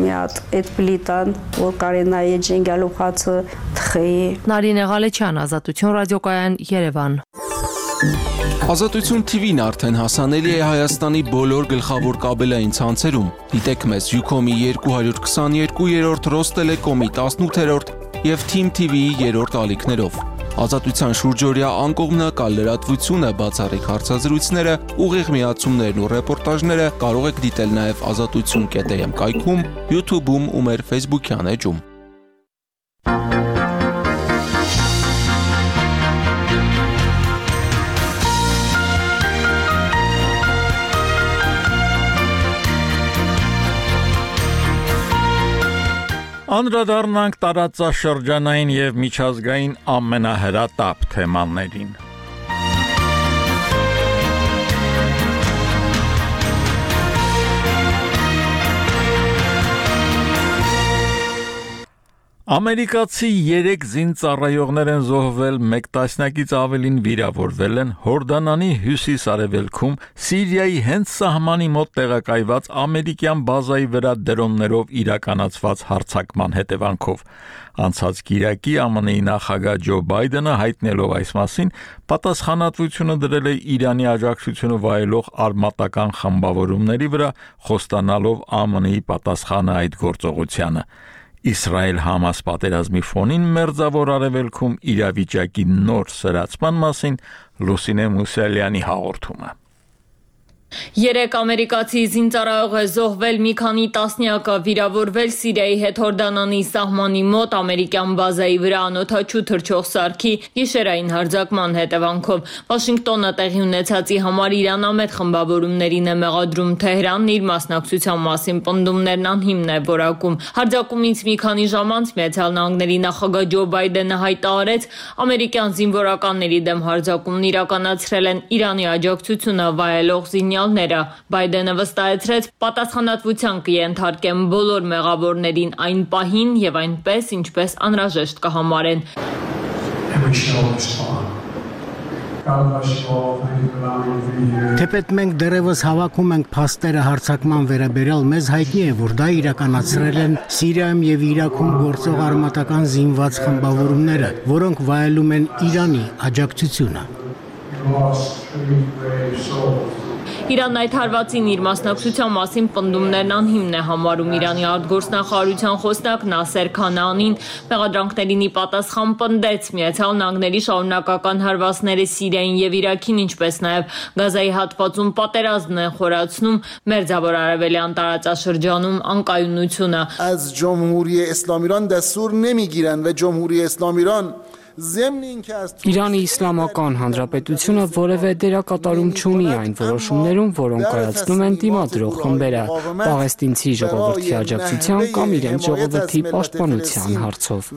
մի հատ այդ պլիտան, որ կարենայի ժենգյալով հացը թխեի։ Նարինե Ղալեչյան, Ազատություն ռադիոկայան, Երևան։ Ազատություն TV-ն արդեն հասանելի է Հայաստանի բոլոր գլխավոր կաբելային ցանցերում։ Դիտեք մեզ Ucom-ի 222-րդ, Ռոստելեկոմի 18-րդ և Team TV-ի 3-րդ ալիքներով։ Ազատության շուրջօրյա անկողմնակալ լրատվությունը, բացառիկ հարցազրույցները, ուղիղ միացումներն ու ռեպորտաժները կարող եք դիտել նաև azatutun.am կայքում, YouTube-ում ու մեր Facebook-յան էջում։ Անդրադառնանք տարածաշրջանային և միջազգային ամենահրատապ թեմաներին։ Ամերիկացի 3 զինծառայողներ են զոհվել, 1 տասնյակից ավելին վիրավորվել են Հորդանանի հյուսիս-արևելքում Սիրիայի հենց սահմանի մոտ տեղակայված ամերիկյան բազայի վրա դրոններով իրականացված հարձակման հետևանքով։ Անցած կիրակի ԱՄՆ-ի նախագահ Ջո Բայդենը հայտնելով այս մասին պատասխանատվությունը դրել է Իրանի աջակցությունը վայելող արմատական խմբավորումների վրա, խոստանալով ԱՄՆ-ի պատասխանը այդ գործողությանը։ Իսրայել-Համաս պատերազմի ֆոնին Մերձավոր Արևելքում իրավիճակի նոր սրացման մասին Լուսինե Մուսալյանի հաղորդումը։ 3 ամերիկացի զինծառայող է զոհվել, մի քանի տասնյակը վիրավորվել Սիրիայի հետ Հորդանանի սահմանի մոտ ամերիկյան բազայի վրա անօդաչու թռչող սարքի գիշերային հարձակման հետևանքով։ Վաշինգտոնը տեղի ունեցածի համար իրանամետ խմբավորումներին է մեղադրում Թեհրանն իր մասնակցության մասին պնդումներն անհիմն է որակում։ Հարձակումից մի քանի ժամ անց Միացյալ Նահանգների նախագահ Ջո Բայդենը հայտարարեց, ամերիկյան զինվորականների դեմ հարձակումն իրականացրել են Իրանի աջակցությունը վայելող զինյալները։ Բայդենը վստահեցրեց, պատասխանատվության կենթարկեն բոլոր մեղավորներին այն պահին եւ այնպես, ինչպես անհրաժեշտ կհամարեն։ Թեպետ մենք դեռևս հավաքում ենք փաստերը հարձակման վերաբերյալ, մեզ հայտնի է, որ դա իրականացրել են Սիրիայում եւ Իրաքում գործող արմատական զինված խմբավորումները, որոնք վայելում են Իրանի աջակցությունը։ Իրանն այդ հարվածին իր մասնակցության մասին պնդումներն անհիմն է համարում։ Իրանի արտգործնախարարության խոսնակ Նասեր Քանանին մեղադրանքներին ի պատասխան պնդեց Միացյալ Նահանգների շարունակական հարվածները Սիրիային եւ Իրաքին, ինչպես նաեւ Գազայի հատվածում պատերազմն են խորացնում Մերձավոր Արևելյան տարածաշրջանում անկայունությունը։ از جمهوری اسلامی ایران دستور نمیگیرن و جمهوری اسلامی ایران Իրանի Իսլամական Հանրապետությունը որևէ դերակատարում չունի այն որոշումներում, որոնք կայացնում են դիմադրող խմբերը, պաղեստինցի ժողովրդի աջակցության կամ իրենց ժողովրդի պաշտպանության հարցով։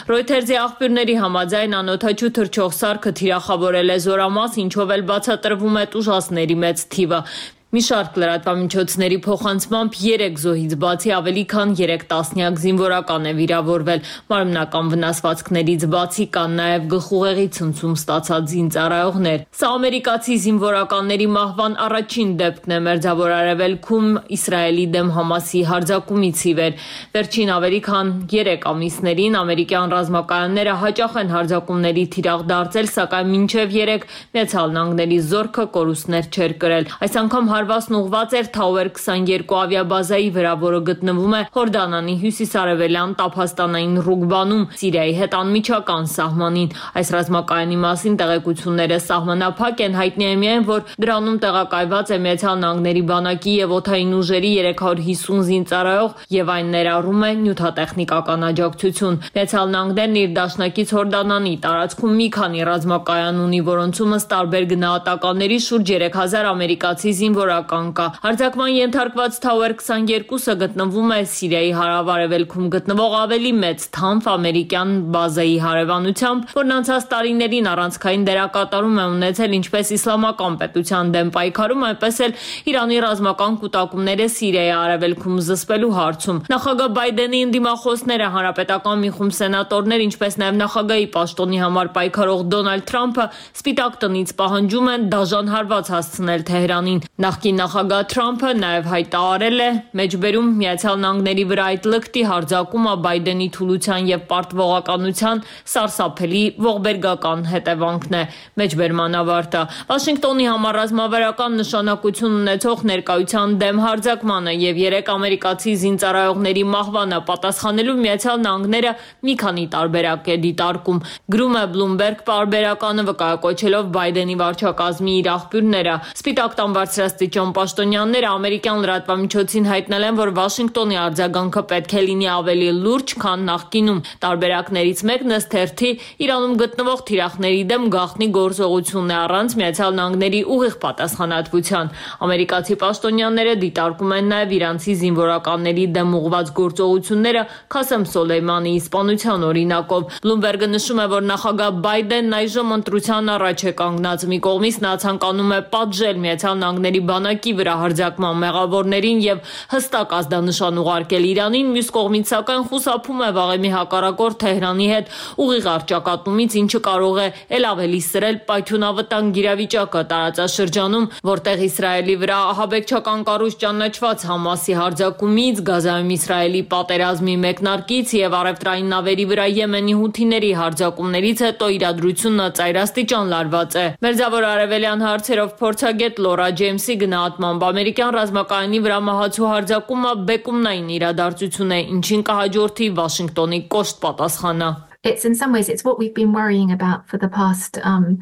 Ռոյթերզի աղբյուրների համաձայն անօդաչու թռչող սարքը թիրախավորել է զորամաս, ինչով էլ բացատրվում է տուժածների մեծ թիվը։ Մի շարք լրատվամիջոցների փոխանցմամբ 3 զոհից բացի ավելի քան 3 տասնյակ զինվորական է վիրավորվել։ Մարմնական վնասվածքներից բացի կան նաև գլխուղեղի ցնցում ստացած զինծառայողներ։ Սա ամերիկացի զինվորականների մահվան առաջին դեպքն է Մերձավոր Արևելքում Իսրայելի դեմ Համասի հարձակումից ի վեր։ Վերջին ավելի քան 3 ամիսներին ամերիկյան ռազմակայանները հաճախ են հարձակումների թիրախ դարձել, սակայն մինչև 3 Միացյալ Նահանգների զորքը կորուստներ չէր կրել։ Այս անգամ հարվածն ուղղված էր Tower 22 ավիաբազայի վրա, որը գտնվում է Հորդանանի հյուսիսարևելյան Տափաստանային Ռուգբանում, Սիրիայի հետ անմիջական սահմանին։ Այս ռազմակայանի մասին տեղեկությունները սահմանափակ են, հայտնի է միայն, որ դրանում տեղակայված է Միացյալ Նահանգների բանակի եւ օդային ուժերի 350 զինծառայող եւ այն ներառում է նյութատեխնիկական աջակցություն։ Միացյալ Նահանգներն իր դաշնակից Հորդանանի տարածքում մի քանի ռազմակայան ունի, որոնցում ըստ տարբեր գնահատականների շուրջ 3000 ամերիկացի զինվորական կա։ Հարձակման ենթարկված Tower 22-ը գտնվում է Սիրիայի հարավ-արևելքում գտնվող ավելի մեծ թանվ ամերիկյան բազայի հարևանությամբ, որն անցած տարիներին առանցքային դերակատարում է ունեցել ինչպես իսլամական պետության դեմ պայքարում, այնպես էլ Իրանի ռազմական կուտակումները Սիրիայի արևելքում զսպելու հարցում։ Նախագահ Բայդենի ընդդիմախոսները, հանրապետական մի խումբ սենատորներ, ինչպես նաև նախագահի պաշտոնի համար պայքարող Դոնալդ Թրամփը Սպիտակ տնից պահանջում են դաժան հարված հասցնել Թեհրանին։ Նախկին նախագահ Թրամփը նաև հայտարարել է, մեջբերում Միացյալ Նահանգների վրա այդ լկտի հարձակումը Բայդենի թուլության եւ պարտվողականության սարսափելի ողբերգական հետևանքն է։ Մեջբերման ավարտը։ Վաշինգտոնի համար ռազմավարական նշանակություն ունեցող ներկայության դեմ հարձակմանը եւ 3 ամերիկացի զինծառայողների մահվանը պատասխանելու Միացյալ Նահանգները մի քանի տարբերակ է դիտարկում։ Գրում է Bloomberg պարբերականը վկայակոչելով Բայդենի վարչակազմի իր աղբյուրները։ Սպիտակ տան բարձրաստիճան պաշտոնյաները ամերիկյան լրատվամիջոցին հայտնել են, որ Վաշինգտոնի արձագանքը պետք է լինի ավելի լուրջ, քան նախկինում։ Տարբերակներից մեկն ըստ թերթի Իրանում գտնվող թիրախների դեմ գաղտնի գործողությունն է առանց Միացյալ Նահանգների ուղիղ պատասխանատվության։ Ամերիկացի պաշտոնյաները դիտարկում են նաև իրանցի զինվորականների դեմ ուղղված գործողությունները Քասեմ Սոլեյմանիի իսպանության օրինակով։ Bloomberg-ը նշում է, որ նախագահ Բայդենն այժմ ընտրության առաջ է կանգնած։ Մի կողմից նա ցանկանում է պատժել Միացյալ Նահանգների բանակի վրա հարձակման մեղավորներին եւ հստակ ազդանշան ուղարկել Իրանին, մյուս կողմից սակայն խուսափում է վաղեմի հակառակորդ Թեհրանի հետ ուղիղ առճակատումից, ինչը կարող է ել ավելի սրել պայթյունավտանգ իրավիճակը տարածաշրջանում, որտեղ Իսրայելի վրա ահաբեկչական կառույց ճանաչված Համասի հարձակումից, Գազայում Իսրայելի պատերազմի մեկնարկից եւ առևտրային նավերի վրա Եմենի հութիների հարձակումներից հետո իրադրությունը ծայրաստիճան լարված է։ Մերձավոր արևելյան հարցերով փորձագետ Լորա Ջեյմսի գնահատմամբ ամերիկյան ռազմակայանի վրա մահացու հարձակումը բեկումնային իրադարձություն է, ինչին կհաջորդի Վաշինգտոնի կոշտ պատասխանը։ It's what we've been worrying about for the past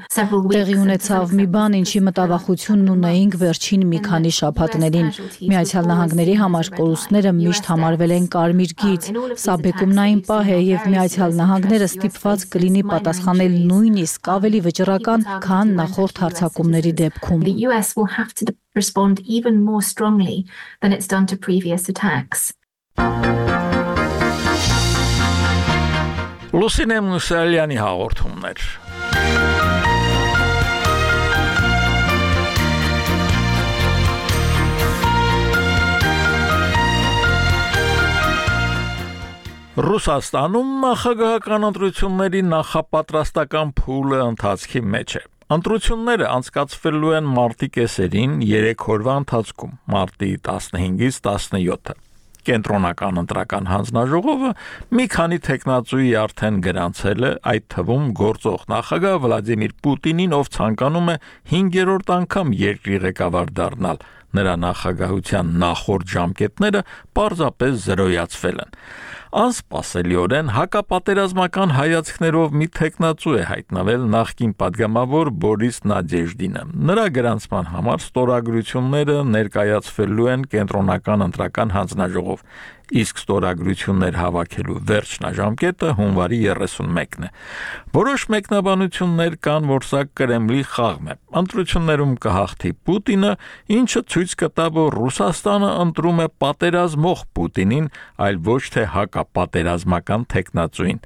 several weeks. Տեղի ունեցավ մի բան, ինչի մտավախությունն ունեինք վերջին մի քանի շաբաթներին։ Միացյալ Նահանգների համար կորուստները միշտ համարվել են կարմիր գիծ։ Սա բեկումնային պահ է եւ Միացյալ Նահանգները ստիպված կլինի պատասխանել նույնիսկ ավելի վճռական, քան նախորդ հարձակումների դեպքում։ The US will have to respond even more strongly than it's done to previous attacks. Լուսինե Մուսալյանի հաղորդումներ։ Ռուսաստանում նախագահական ընտրությունների նախապատրաստական փուլը ընթացքի մեջ է։ Ընտրությունները անցկացվելու են մարտի կեսերին 3 օրվա ընթացքում՝ մարտի 15-ից 17-ը։ Կենտրոնական ընտրական հանձնաժողովը մի քանի տեխնացուի արդեն գրանցել է, այդ թվում գործող նախագահ Վլադիմիր Պուտինին, ով ցանկանում է 5-րդ անգամ երկրի ղեկավար դառնալ։ Նրա նախագահության նախորդ ժամկետները պարզապես զրոյացվել են։ Անսպասելիորեն հակապատերազմական հայացքներով մի տեխնացու է հայտնվել նախկին падգամավոր Բորիս Նադեժդինը։ Նրա գրանցման համար ստորագրությունները ներկայացվելու են կենտրոնական ընտրական հանձնաժողով, իսկ ստորագրություններ հավաքելու վերջնաժամկետը հունվարի 31-ն է։ Որոշ մեկնաբանություններ կան, որ սա Կրեմլի խաղն է։ Ընտրություններում կհաղթի Պուտինը, ինչը ցույց կտա, որ Ռուսաստանը ընտրում է պատերազմող Պուտինին, այլ ոչ թե հակապատերազմական տեխնացուին։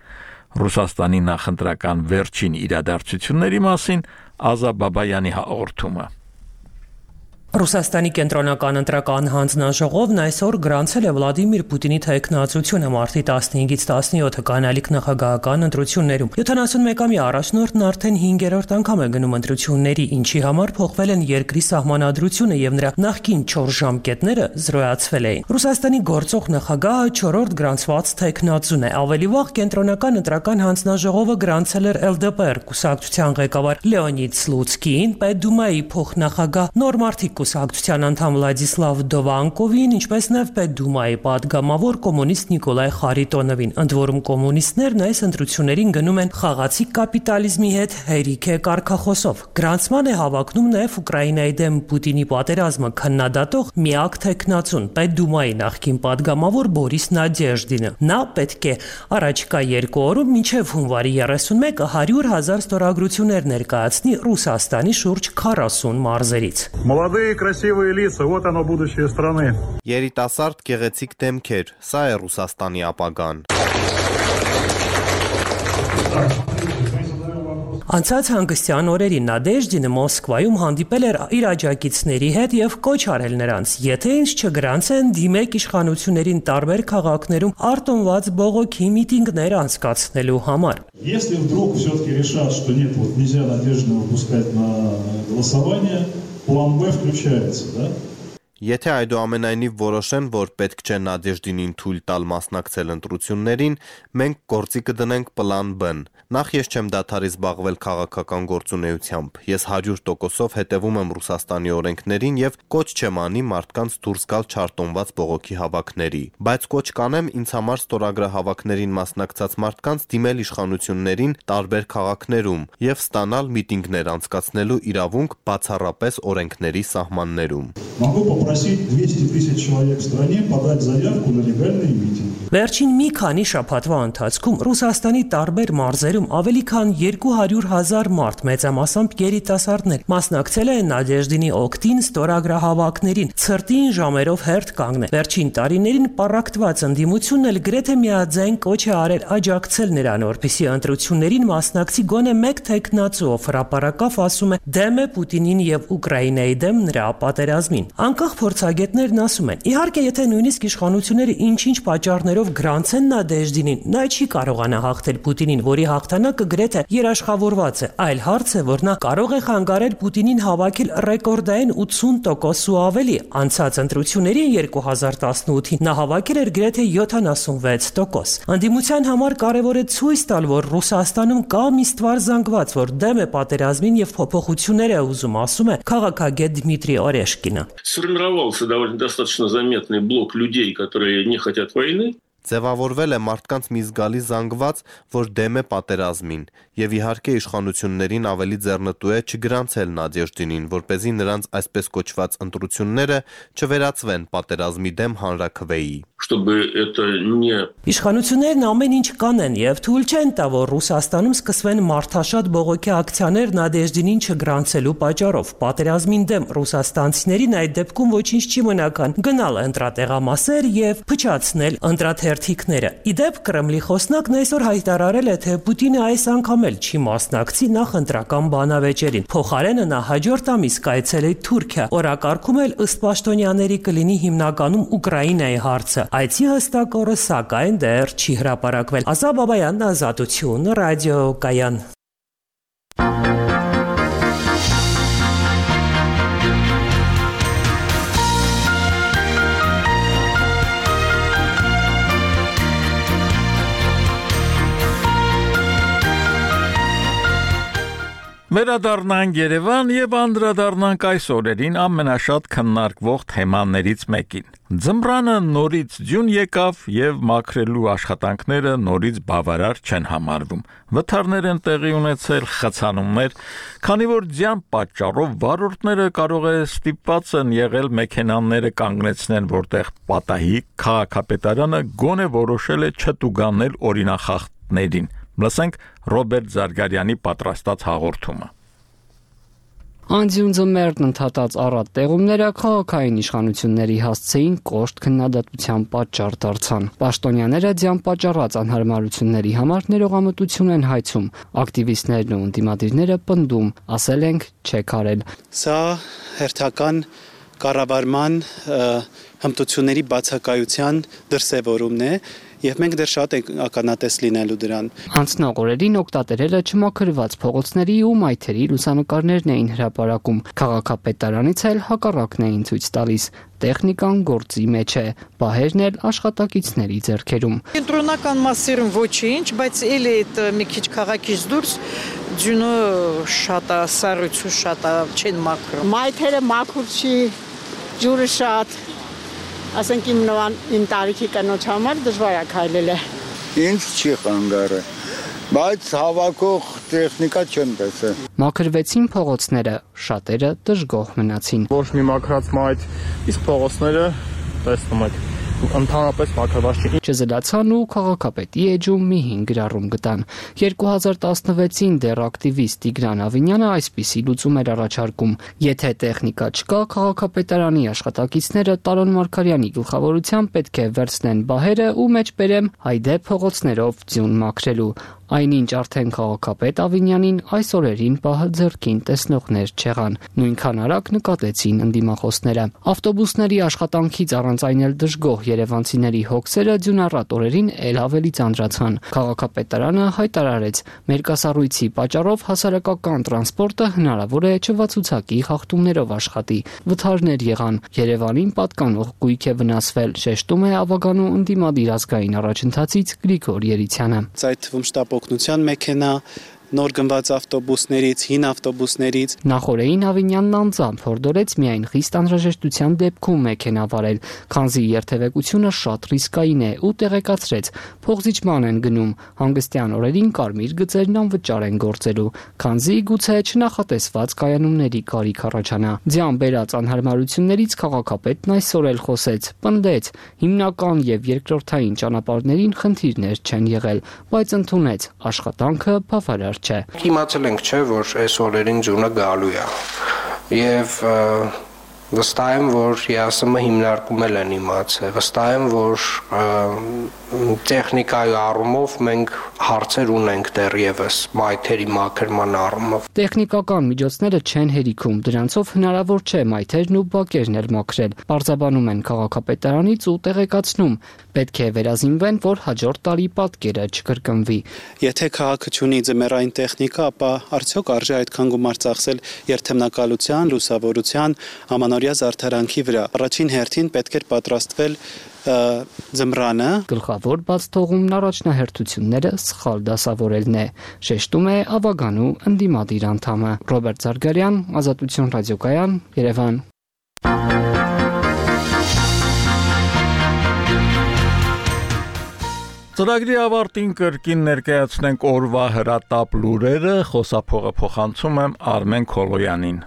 Ռուսաստանի նախընտրական վերջին իրադարձությունների մասին Ազա Բաբայանի հաղորդումը։ Ռուսաստանի կենտրոնական ընտրական հանձնաժողովն այսօր գրանցել է Վլադիմիր Պուտինի թեկնածությունը մարտի 15-ից 17 կանալիք նախագահական ընտրություններում։ 71-ամյա առաջնորդն արդեն 5-րդ անգամ է գնում ընտրությունների, ինչի համար փոխվել են երկրի սահմանադրությունը եւ նրա նախկին 4 ժամկետները զրոյացվել էին։ Ռուսաստանի գործող նախագահը 4-րդ գրանցված թեկնածուն է։ Ավելի վաղ կենտրոնական ընտրական հանձնաժողովը գրանցել էր LDPR կուսակցության ղեկավար Լեոնիդ Սլուցկին, Պետդումայի փոխնախագահ Նորմարտի կուսակցության անդամ Վլադիսլավ Դովանկովին, ինչպես նաև Պետդումայի падգամավոր կոմունիստ Նիկոլայ Խարիտոնովին, ընդ որում կոմունիստներն այս ընտրություններին գնում են խաղացի կապիտալիզմի հետ հերիք է կարգախոսով։ Գրանցման է հավակնում նաև Ուկրաինայի դեմ Պուտինի պատերազմը քննադատող միակ տեխնացուն Պետդումայի նախկին падգամավոր Բորիս Նադեժդինը։ Նա պետք է առաջիկա 2 օրում մինչև հունվարի 31-ը 100,000 ստորագրություններ ներկայացնի Ռուսաստանի շուրջ 40 մարզերից։ Красивые лица, вот оно будущее страны. Երիտասարդ գեղեցիկ դեմքեր, սա է Ռուսաստանի ապագան։ Անցած հանգստյան օրերին Նադեժդինը Մոսկվայում հանդիպել էր իր աջակիցների հետ եւ կոչ արել նրանց, եթե ինչ չգրանցեն, դիմեք իշխանություններին տարբեր քաղաքներում արտոնված բողոքի միտինգներ անցկացնելու համար։ Если вдруг все-таки решат, что нет, вот нельзя Надеждина выпускать на голосование, план Б включается, да? Եթե այդուամենայնիվ որոշեն, որ պետք չէ Նադեժդինին թույլ տալ մասնակցել ընտրություններին, մենք գործի կդնենք պլան B-ն։ Նախ ես չեմ դադարի զբաղվել քաղաքական գործունեությամբ։ Ես 100%-ով հետևում եմ Ռուսաստանի օրենքներին եւ կոչ չեմ անի մարդկանց դուրս գալ չարտոնված բողոքի հավաքների։ Բայց կոչ կանեմ ինձ համար ստորագրահավաքներին մասնակցած մարդկանց դիմել իշխանություններին տարբեր քաղաքներում եւ ստանալ միտինգներ անցկացնելու իրավունք բացառապես օրենքների սահմաններում։ попросить 200 тысяч человек в стране подать заявку на легальные митинги. Վերջին մի քանի շաբաթվա ընթացքում Ռուսաստանի տարբեր մարզերում ավելի քան 200,000 մարդ մեծամասամբ երիտասարդներ մասնակցել են Նադեժդինի օգտին ստորագրահավաքներին, ցրտին ժամերով հերթ կանգնել։ Վերջին տարիներին պառակտված ընդդիմությունն էլ գրեթե միաձայն կոչ է արել աջակցել նրան, որպեսզի ընտրություններին մասնակցի գոնե մեկ թեկնածու, ով հրապարակավ ասում է դեմ է Պուտինին եւ Ուկրաինայի դեմ նրա պատերազմին։ Անկախ փորձագետներն ասում են, իհարկե, եթե նույնիսկ իշխանությունները ինչ-ինչ պատճառներով գրանցեն Նադեժդինին, նա չի կարողանա հաղթել Պուտինին, որի հաղթանակը գրեթե երաշխավորված է։ Այլ հարց է, որ նա կարող է խանգարել Պուտինին հավաքել ռեկորդային 80% ու ավելի։ Անցած ընտրությունների 2018-ին նա հավաքել էր գրեթե 76%։ Անդիմության համար կարևոր է ցույց տալ, որ Ռուսաստանում կա մի ստվար զանգված, որ դեմ է պատերազմին եւ փոփոխություններ է ուզում, ասում է քաղաքագետ Դմիտրի Օրեշկինը։ Сформировался довольно достаточно заметный блок людей, которые не хотят войны. Ձևավորվել է մարդկանց մի զգալի զանգված, որ դեմ է պատերազմին, եւ իհարկե իշխանություններին ավելի ձեռնտու է չգրանցել Նադեժդինին, որպեսզի նրանց այսպես կոչված ընտրությունները չվերածվեն պատերազմի դեմ հանրաքվեի։ Իշխանություններն ամեն ինչ կանեն եւ թույլ չեն տա, որ Ռուսաստանում սկսվեն մարդաշատ բողոքի ակցիաներ Նադեժդինին չգրանցելու պատճառով։ Պատերազմին դեմ ռուսաստանցիներին այդ դեպքում ոչինչ չի մնական գնալ ընտրատեղամասեր եւ փչացնել ընտրաթերթիկները։ Իդեպ Կրեմլի խոսնակն այսօր հայտարարել է, թե Պուտինը այս անգամ էլ չի մասնակցի նախընտրական բանավեճերին։ Փոխարենը նա հաջորդ ամիս կայցելի Թուրքիա, օրակարգում էլ ըստ պաշտոնյաների կլինի հիմնականում Ուկրաինայի հարցը։ Այցի հստակ օրը սակայն դեռ չի հրապարակվել։ Ազա Բաբայանն, Ազատություն, Ռադիո Կայան։ Վերադառնանք Երևան եւ անդրադառնանք այս օրերին ամենաշատ քննարկվող թեմաներից մեկին։ Ձմռանը նորից ձյուն եկավ եւ մաքրելու աշխատանքները նորից բավարար չեն համարվում։ Վթարներ են տեղի ունեցել, խցանումներ, քանի որ ձյան պատճառով վարորդները կարող է ստիպված են եղել մեքենաները կանգնեցնեն, որտեղ պատահի քաղաքապետարանը գոնե որոշել է չտուգանել օրինախախտներին։ Լսենք Ռոբերտ Զարգարյանի պատրաստած հաղորդումը։ Անձյուն ձմեռն ընդհատած առատ տեղումները քաղաքային իշխանությունների հասցեին կոշտ քննադատության պատճառ դարձան։ Պաշտոնյաները ձյան պատճառած անհարմարությունների համար ներողամտություն են հայցում, ակտիվիստներն ու ընդդիմադիրները պնդում, ասել ենք չեք արել։ Սա հերթական կառավարման հմտությունների բացակայության դրսևորումն է եւ մենք դեռ շատ ենք ականատես լինելու դրան։ Անցնող օրերին օգտատերերը չմաքրված փողոցների ու մայթերի լուսանկարներն էին հրապարակում։ Քաղաքապետարանից էլ հակառակն էին ցույց տալիս։ Տեխնիկան գործի մեջ է, բահերն էլ աշխատակիցների ձեռքերում։ Կենտրոնական մասերում ոչինչ, բայց էլի այդ մի քիչ քաղաքից դուրս ձյունը շատ է, սառույցը շատ է, չեն մաքրում։ Մայթերը մաքուր չի, ջուրը շատ ասենք իմ տարիքի կնոջ համար դժվար է քայլել։ Ինչ չի խանգարը, բայց հավաքող տեխնիկա չեն տեսել։ Մաքրվեցին փողոցները, շատերը դժգոհ մնացին։ Ոչ մի մաքրած մայթ, իսկ փողոցները տեսնում եք ընդհանրապես մաքրված չի։ Չզլացան ու քաղաքապետի էջում մի 5 գրառում գտան։ 2016-ին դեռ ակտիվիստ Տիգրան Ավինյանը այսպիսի լուծում էր առաջարկում. եթե տեխնիկա չկա, քաղաքապետարանի աշխատակիցները Տարոն Մարգարյանի գլխավորությամբ պետք է վերցնեն բահերը ու մեջբերեմ հայդե փողոցներով ձյուն մաքրելու։ Այնինչ արդեն քաղաքապետ Ավինյանին այս օրերին պահը ձեռքին տեսնողներ չեղան։ Նույնքան արագ նկատեցին ընդդիմախոսները։ Ավտոբուսների աշխատանքից առանց այն էլ դժգոհ երևանցիների հոգսերը ձյունառատ օրերին էլ ավելի ծանրացան։ Քաղաքապետարանը հայտարարեց, մերկասառույցի պատճառով հասարակական տրանսպորտը հնարավոր է չվացուցակի խախտումներով աշխատի։ Վթարներ եղան, Երևանին պատկանող գույք է վնասվել, շեշտում է Ավագանու ընդդիմադիր ազգային առաջընթացից Գրիգոր Երիցյանը։ Այդ թվում շտապօգնության մեքենա, նոր գնված ավտոբուսներից, հին ավտոբուսներից։ Նախորդին Ավինյանն անձամբ հորդորեց միայն խիստ անհրաժեշտության դեպքում մեքենա վարել, քանզի երթևեկությունը շատ ռիսկային է ու տեղեկացրեց, փողզիջման են գնում, հանգստյան օրերին կարմիր գծերն անվճար են գործելու, քանզի գուցե չնախատեսված կայանումների կարիք առաջանա։ Ձյան բերած անհարմարություններից քաղաքապետն այսօր էլ խոսեց, պնդեց, հիմնական եւ երկրորդային ճանապարհներին խնդիրներ չեն եղել, բայց ընդունեց, աշխատանքը բավարար չէ։ Իմացել ենք, չէ, որ այս օրերին ձյունը գալու է։ Եվ վստահ եմ, որ ԵԱՍՄ հիմնարկում են իմացել։ Վստահ եմ, որ տեխնիկայի առումով մենք հարցեր ունենք դեռևս մայթերի մաքրման առումով։ Տեխնիկական միջոցները չեն հերիքում, դրանցով հնարավոր չէ մայթերն ու բակերն էլ մաքրել։ Պարզաբանում են քաղաքապետարանից ու տեղեկացնում, պետք է վերազինվեն, որ հաջորդ տարի պատկերը չկրկնվի։ Եթե քաղաքը չունի ձմեռային տեխնիկա, ապա արդյոք արժե այդքան գումար ծախսել երթեմնակալության, լուսավորության, ամանորյա զարդարանքի վրա։ Առաջին հերթին պետք էր պատրաստվել ձմռանը։ Գլխավոր բաց թողումն առաջնահերթությունները սխալ դասավորելն է, շեշտում է Ավագանու ընդդիմադիր անդամը։ Ռոբերտ Զարգարյան, Ազատություն ռադիոկայան, Երևան։ Ծրագրի ավարտին կրկին ներկայացնենք օրվա հրատապ լուրերը, խոսափողը փոխանցում եմ Արմեն Քոլոյանին։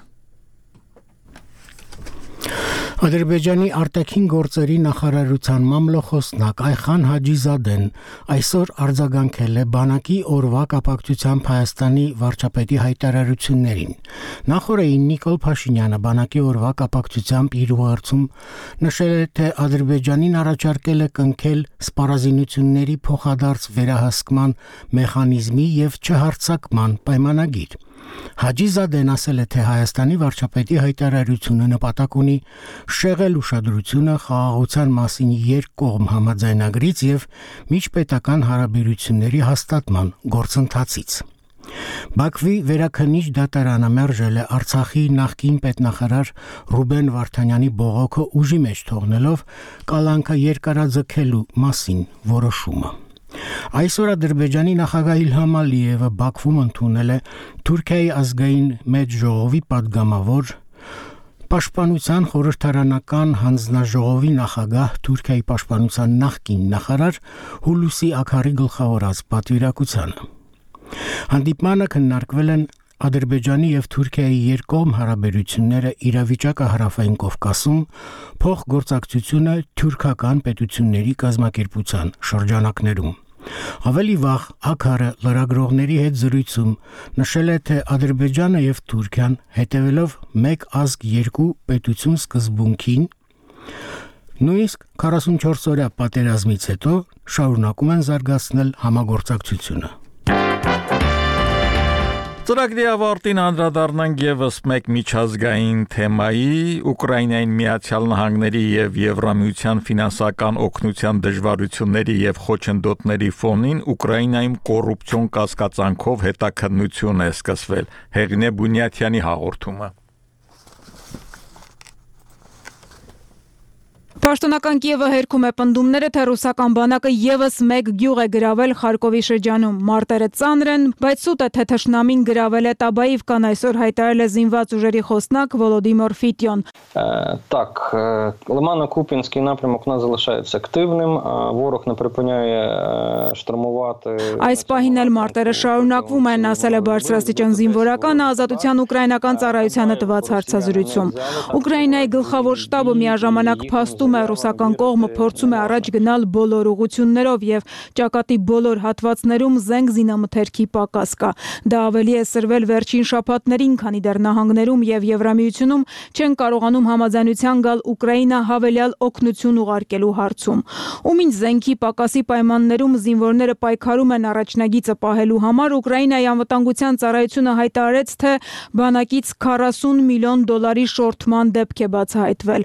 Ադրբեջանի արտաքին գործերի նախարարության մամլոխոսնակ Այխան Հաջիզադեն այսօր արձագանքել է բանակի օրվա կապակցությամբ Հայաստանի վարչապետի հայտարարություններին։ Նախորդին Նիկոլ Փաշինյանը բանակի օրվա կապակցությամբ իր ուղերձում նշել է, թե Ադրբեջանին առաջարկել է կնքել սպառազինությունների փոխադարձ վերահսկման մեխանիզմի եւ չհարձակման պայմանագիր։ Հաջիզադեն ասել է, թե Հայաստանի վարչապետի հայտարարությունը նպատակ ունի շեղել ուշադրությունը խաղաղության մասին երկկողմ համաձայնագրից եւ միջպետական հարաբերությունների հաստատման գործընթացից։ Բաքվի վերաքննիչ դատարանը մերժել է Արցախի նախկին պետնախարար Ռուբեն Վարդանյանի բողոքը ուժի մեջ թողնելով կալանքը երկարաձգելու մասին որոշումը։ Այսօր Ադրբեջանի նախագահ Իլհամ Ալիևը Բաքվում ընդունել է Թուրքիայի ազգային մեծ ժողովի падգամավոր Պաշտպանության խորհրդարանական հանձնաժողովի նախագահ Թուրքիայի պաշտպանության նախկին նախարար Հուլուսի Աքարի գլխավորած պատվիրակությանը։ Հանդիպմանը քննարկվել են Ադրբեջանի եւ Թուրքիայի երկկողմ հարաբերությունները, իրավիճակը Հարավային Կովկասում, փոխգործակցությունը թուրքական պետությունների կազմակերպության շրջանակներում։ Ավելի վաղ Աքարը լրագրողների հետ զրույցում նշել է, թե Ադրբեջանը եւ Թուրքիան հետևելով մեկ ազգ երկու պետություն սկզբունքին նույնիսկ 44 օրյա պատերազմից հետո շարունակում են զարգացնել համագործակցությունը։ Ծրագրի ավարտին անդրադառնանք եւս մեկ միջազգային թեմայի՝ Ուկրաինային Միացյալ Նահանգների եւ Եվրամիության ֆինանսական օգնության դժվարությունների եւ խոչընդոտների ֆոնին Ուկրաինայում կոռուպցիոն կասկածանքով հետաքննություն է սկսվել։ Հեղինե Բունյաթյանի հաղորդումը։ Պաշտոնական Կիևը հերքում է պնդումները, թե ռուսական բանակը եւս մեկ գյուղ է գրավել Խարկովի շրջանում։ Մարտերը ծանր են, բայց սուտ է, թե թշնամին գրավել է Տաբաիվկան, այսօր հայտարարել է զինված ուժերի խոսնակ Վոլոդիմիր Ֆիտյոն։ Так, Лимано-Куп'янський напрямок у нас залишається активним. Ворог не припиняє штурмувати. Այս պահին էլ մարտերը շարունակվում են, ասել է բարձրաստիճան զինվորականը Ազատության ուկրաինական ծառայությանը տված հարցազրույցում։ Ուկրաինայի գլխավոր շտաբը միաժամանակ փաստում է, ռուսական կողմը փորձում է առաջ գնալ բոլոր ուղղություններով եւ ճակատի բոլոր հատվածներում զենք զինամթերքի պակաս կա։ Դա ավելի է սրվել վերջին շաբաթներին, քանի դեռ նահանգներում եւ Եվրամիությունում չեն կարողանում համաձայնության գալ Ուկրաինա հավելյալ օգնություն ուղարկելու հարցում։ Ումին զենքի պակասի պայմաններում զինվորները պայքարում են առաջնագիծը պահելու համար, Ուկրաինայի անվտանգության ծառայությունը հայտարարեց, թե բանակից $40 միլիոն շորթման դեպք է բացահայտվել։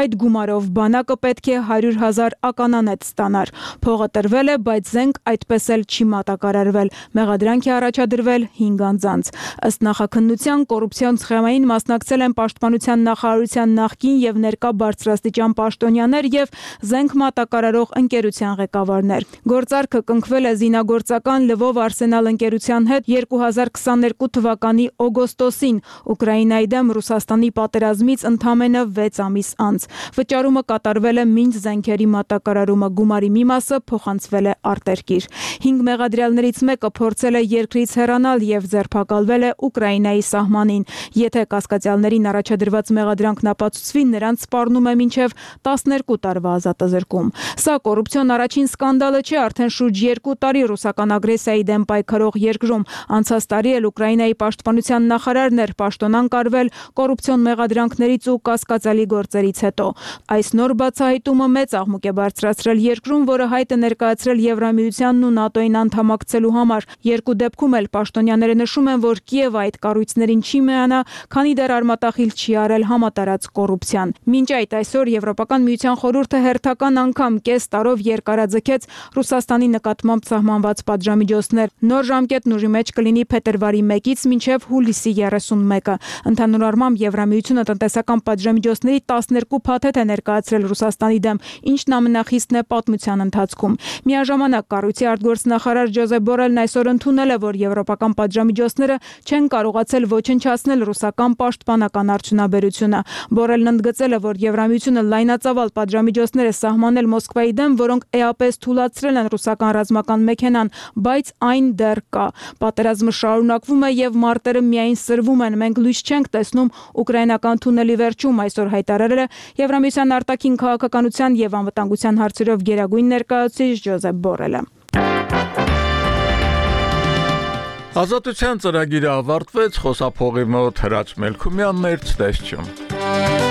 Այդ գումարով բանակը պետք է 100,000 ականանետ ստանար։ Փողը տրվել է, բայց զենք այդպես էլ չի մատակարարվել։ Մեղադրանք է առաջադրվել 5 անձանց։ Ըստ նախաքննության կոռուպցիոն սխեմային մասնակցել են Պաշտպանության նախարարության նախկին եւ ներկա բարձրաստիճան պաշտոնյաներ եւ զենք մատակարարող ընկերության ղեկավարներ։ Գործարքը կարգը կնքվել է զինագործական Լվով Արսենալ ընկերության հետ 2022 թվականի օգոստոսին Ուկրաինայի դեմ Ռուսաստանի պատերազմից ընդամենը 6 ամիս անց։ Վճարումը կատարվել է մինչ զենքերի մատակարարումը, գումարի մի մասը փոխանցվել է արտերկիր։ 5 մեղադրյալներից մեկը փորձել է երկրից հեռանալ եւ ձերբակալվել է Ուկրաինայի սահմանին։ Եթե կասկածյալներին առաջադրված մեղադրանքն ապացուցվի, նրանց սպառնում է մինչև 12 տարվա ազատազրկում։ Սա կոռուպցիոն առաջին սկանդալը չէ, արդեն շուրջ 2 տարի ռուսական ագրեսիայի դեմ պայքարող երկրում։ Անցած տարի էլ Ուկրաինայի պաշտպանության նախարարն էր պաշտոնան կարվել կոռուպցիոն մեղադրանքներից ու կասկածալի գործերից հետո։ Այս նոր բացահայտումը մեծ աղմուկ է բարձրացրել երկրում, որը հայտ է ներկայացրել Եվրամիությանն ու ՆԱՏՕ-ին անդամակցելու համար։ Երկու դեպքում էլ պաշտոնյաները նշում են, որ Կիևը այդ կառույցներին չի միանա, քանի դեռ արմատախիլ չի արել համատարած կոռուպցիան։ Մինչ այդ այսօր Եվրոպական միության խորհուրդը հերթական անգամ կես տարով երկարաձգեց Ռուսաստանի նկատմամբ սահմանված պատժամիջոցներ։ Նոր ժամկետն ուժի մեջ կլինի փետրվարի 1-ից մինչև հուլիսի 31-ը։ Ընդհանուր առմամբ Եվրամիությունը տնտեսական պատժամիջոցների 12 փաթեթ է ներկայացրել Ռուսաստանի դեմ, ինչն ամենախիստն է պատմության ընթացքում։ Միաժամանակ կառույցի արտգործնախարար Ջոզեփ Բորելն այսօր ընդունել է, որ եվրոպական պատժամիջոցները չեն կարողացել ոչնչացնել ռուսական պաշտպանական արդյունաբերությունը։ Բորելն ընդգծել է, որ Եվրամիությունը լայնածավալ պատժամիջոցներ է սահմանել Մոսկվայի դեմ, որոնք էապես թույլատրել են ռուսական ռազմական մեքենան, բայց այն դեռ կա։ Պատերազմը շարունակվում է եւ մարտերը միայն սրվում են։ Մենք լույս չենք տեսնում ուկրաինական թունելի վերջում, այսօր հայտարարել է Եվրամիության արտաքին քաղաքականության եւ անվտանգության հարցերով գերագույն ներկայացուցիչ Ջոզեփ Բորելը։ Ազատության ծրագիրը ավարտվեց, խոսափողի մոտ Հրաչ Մելքումյանն էր, ցտեսություն։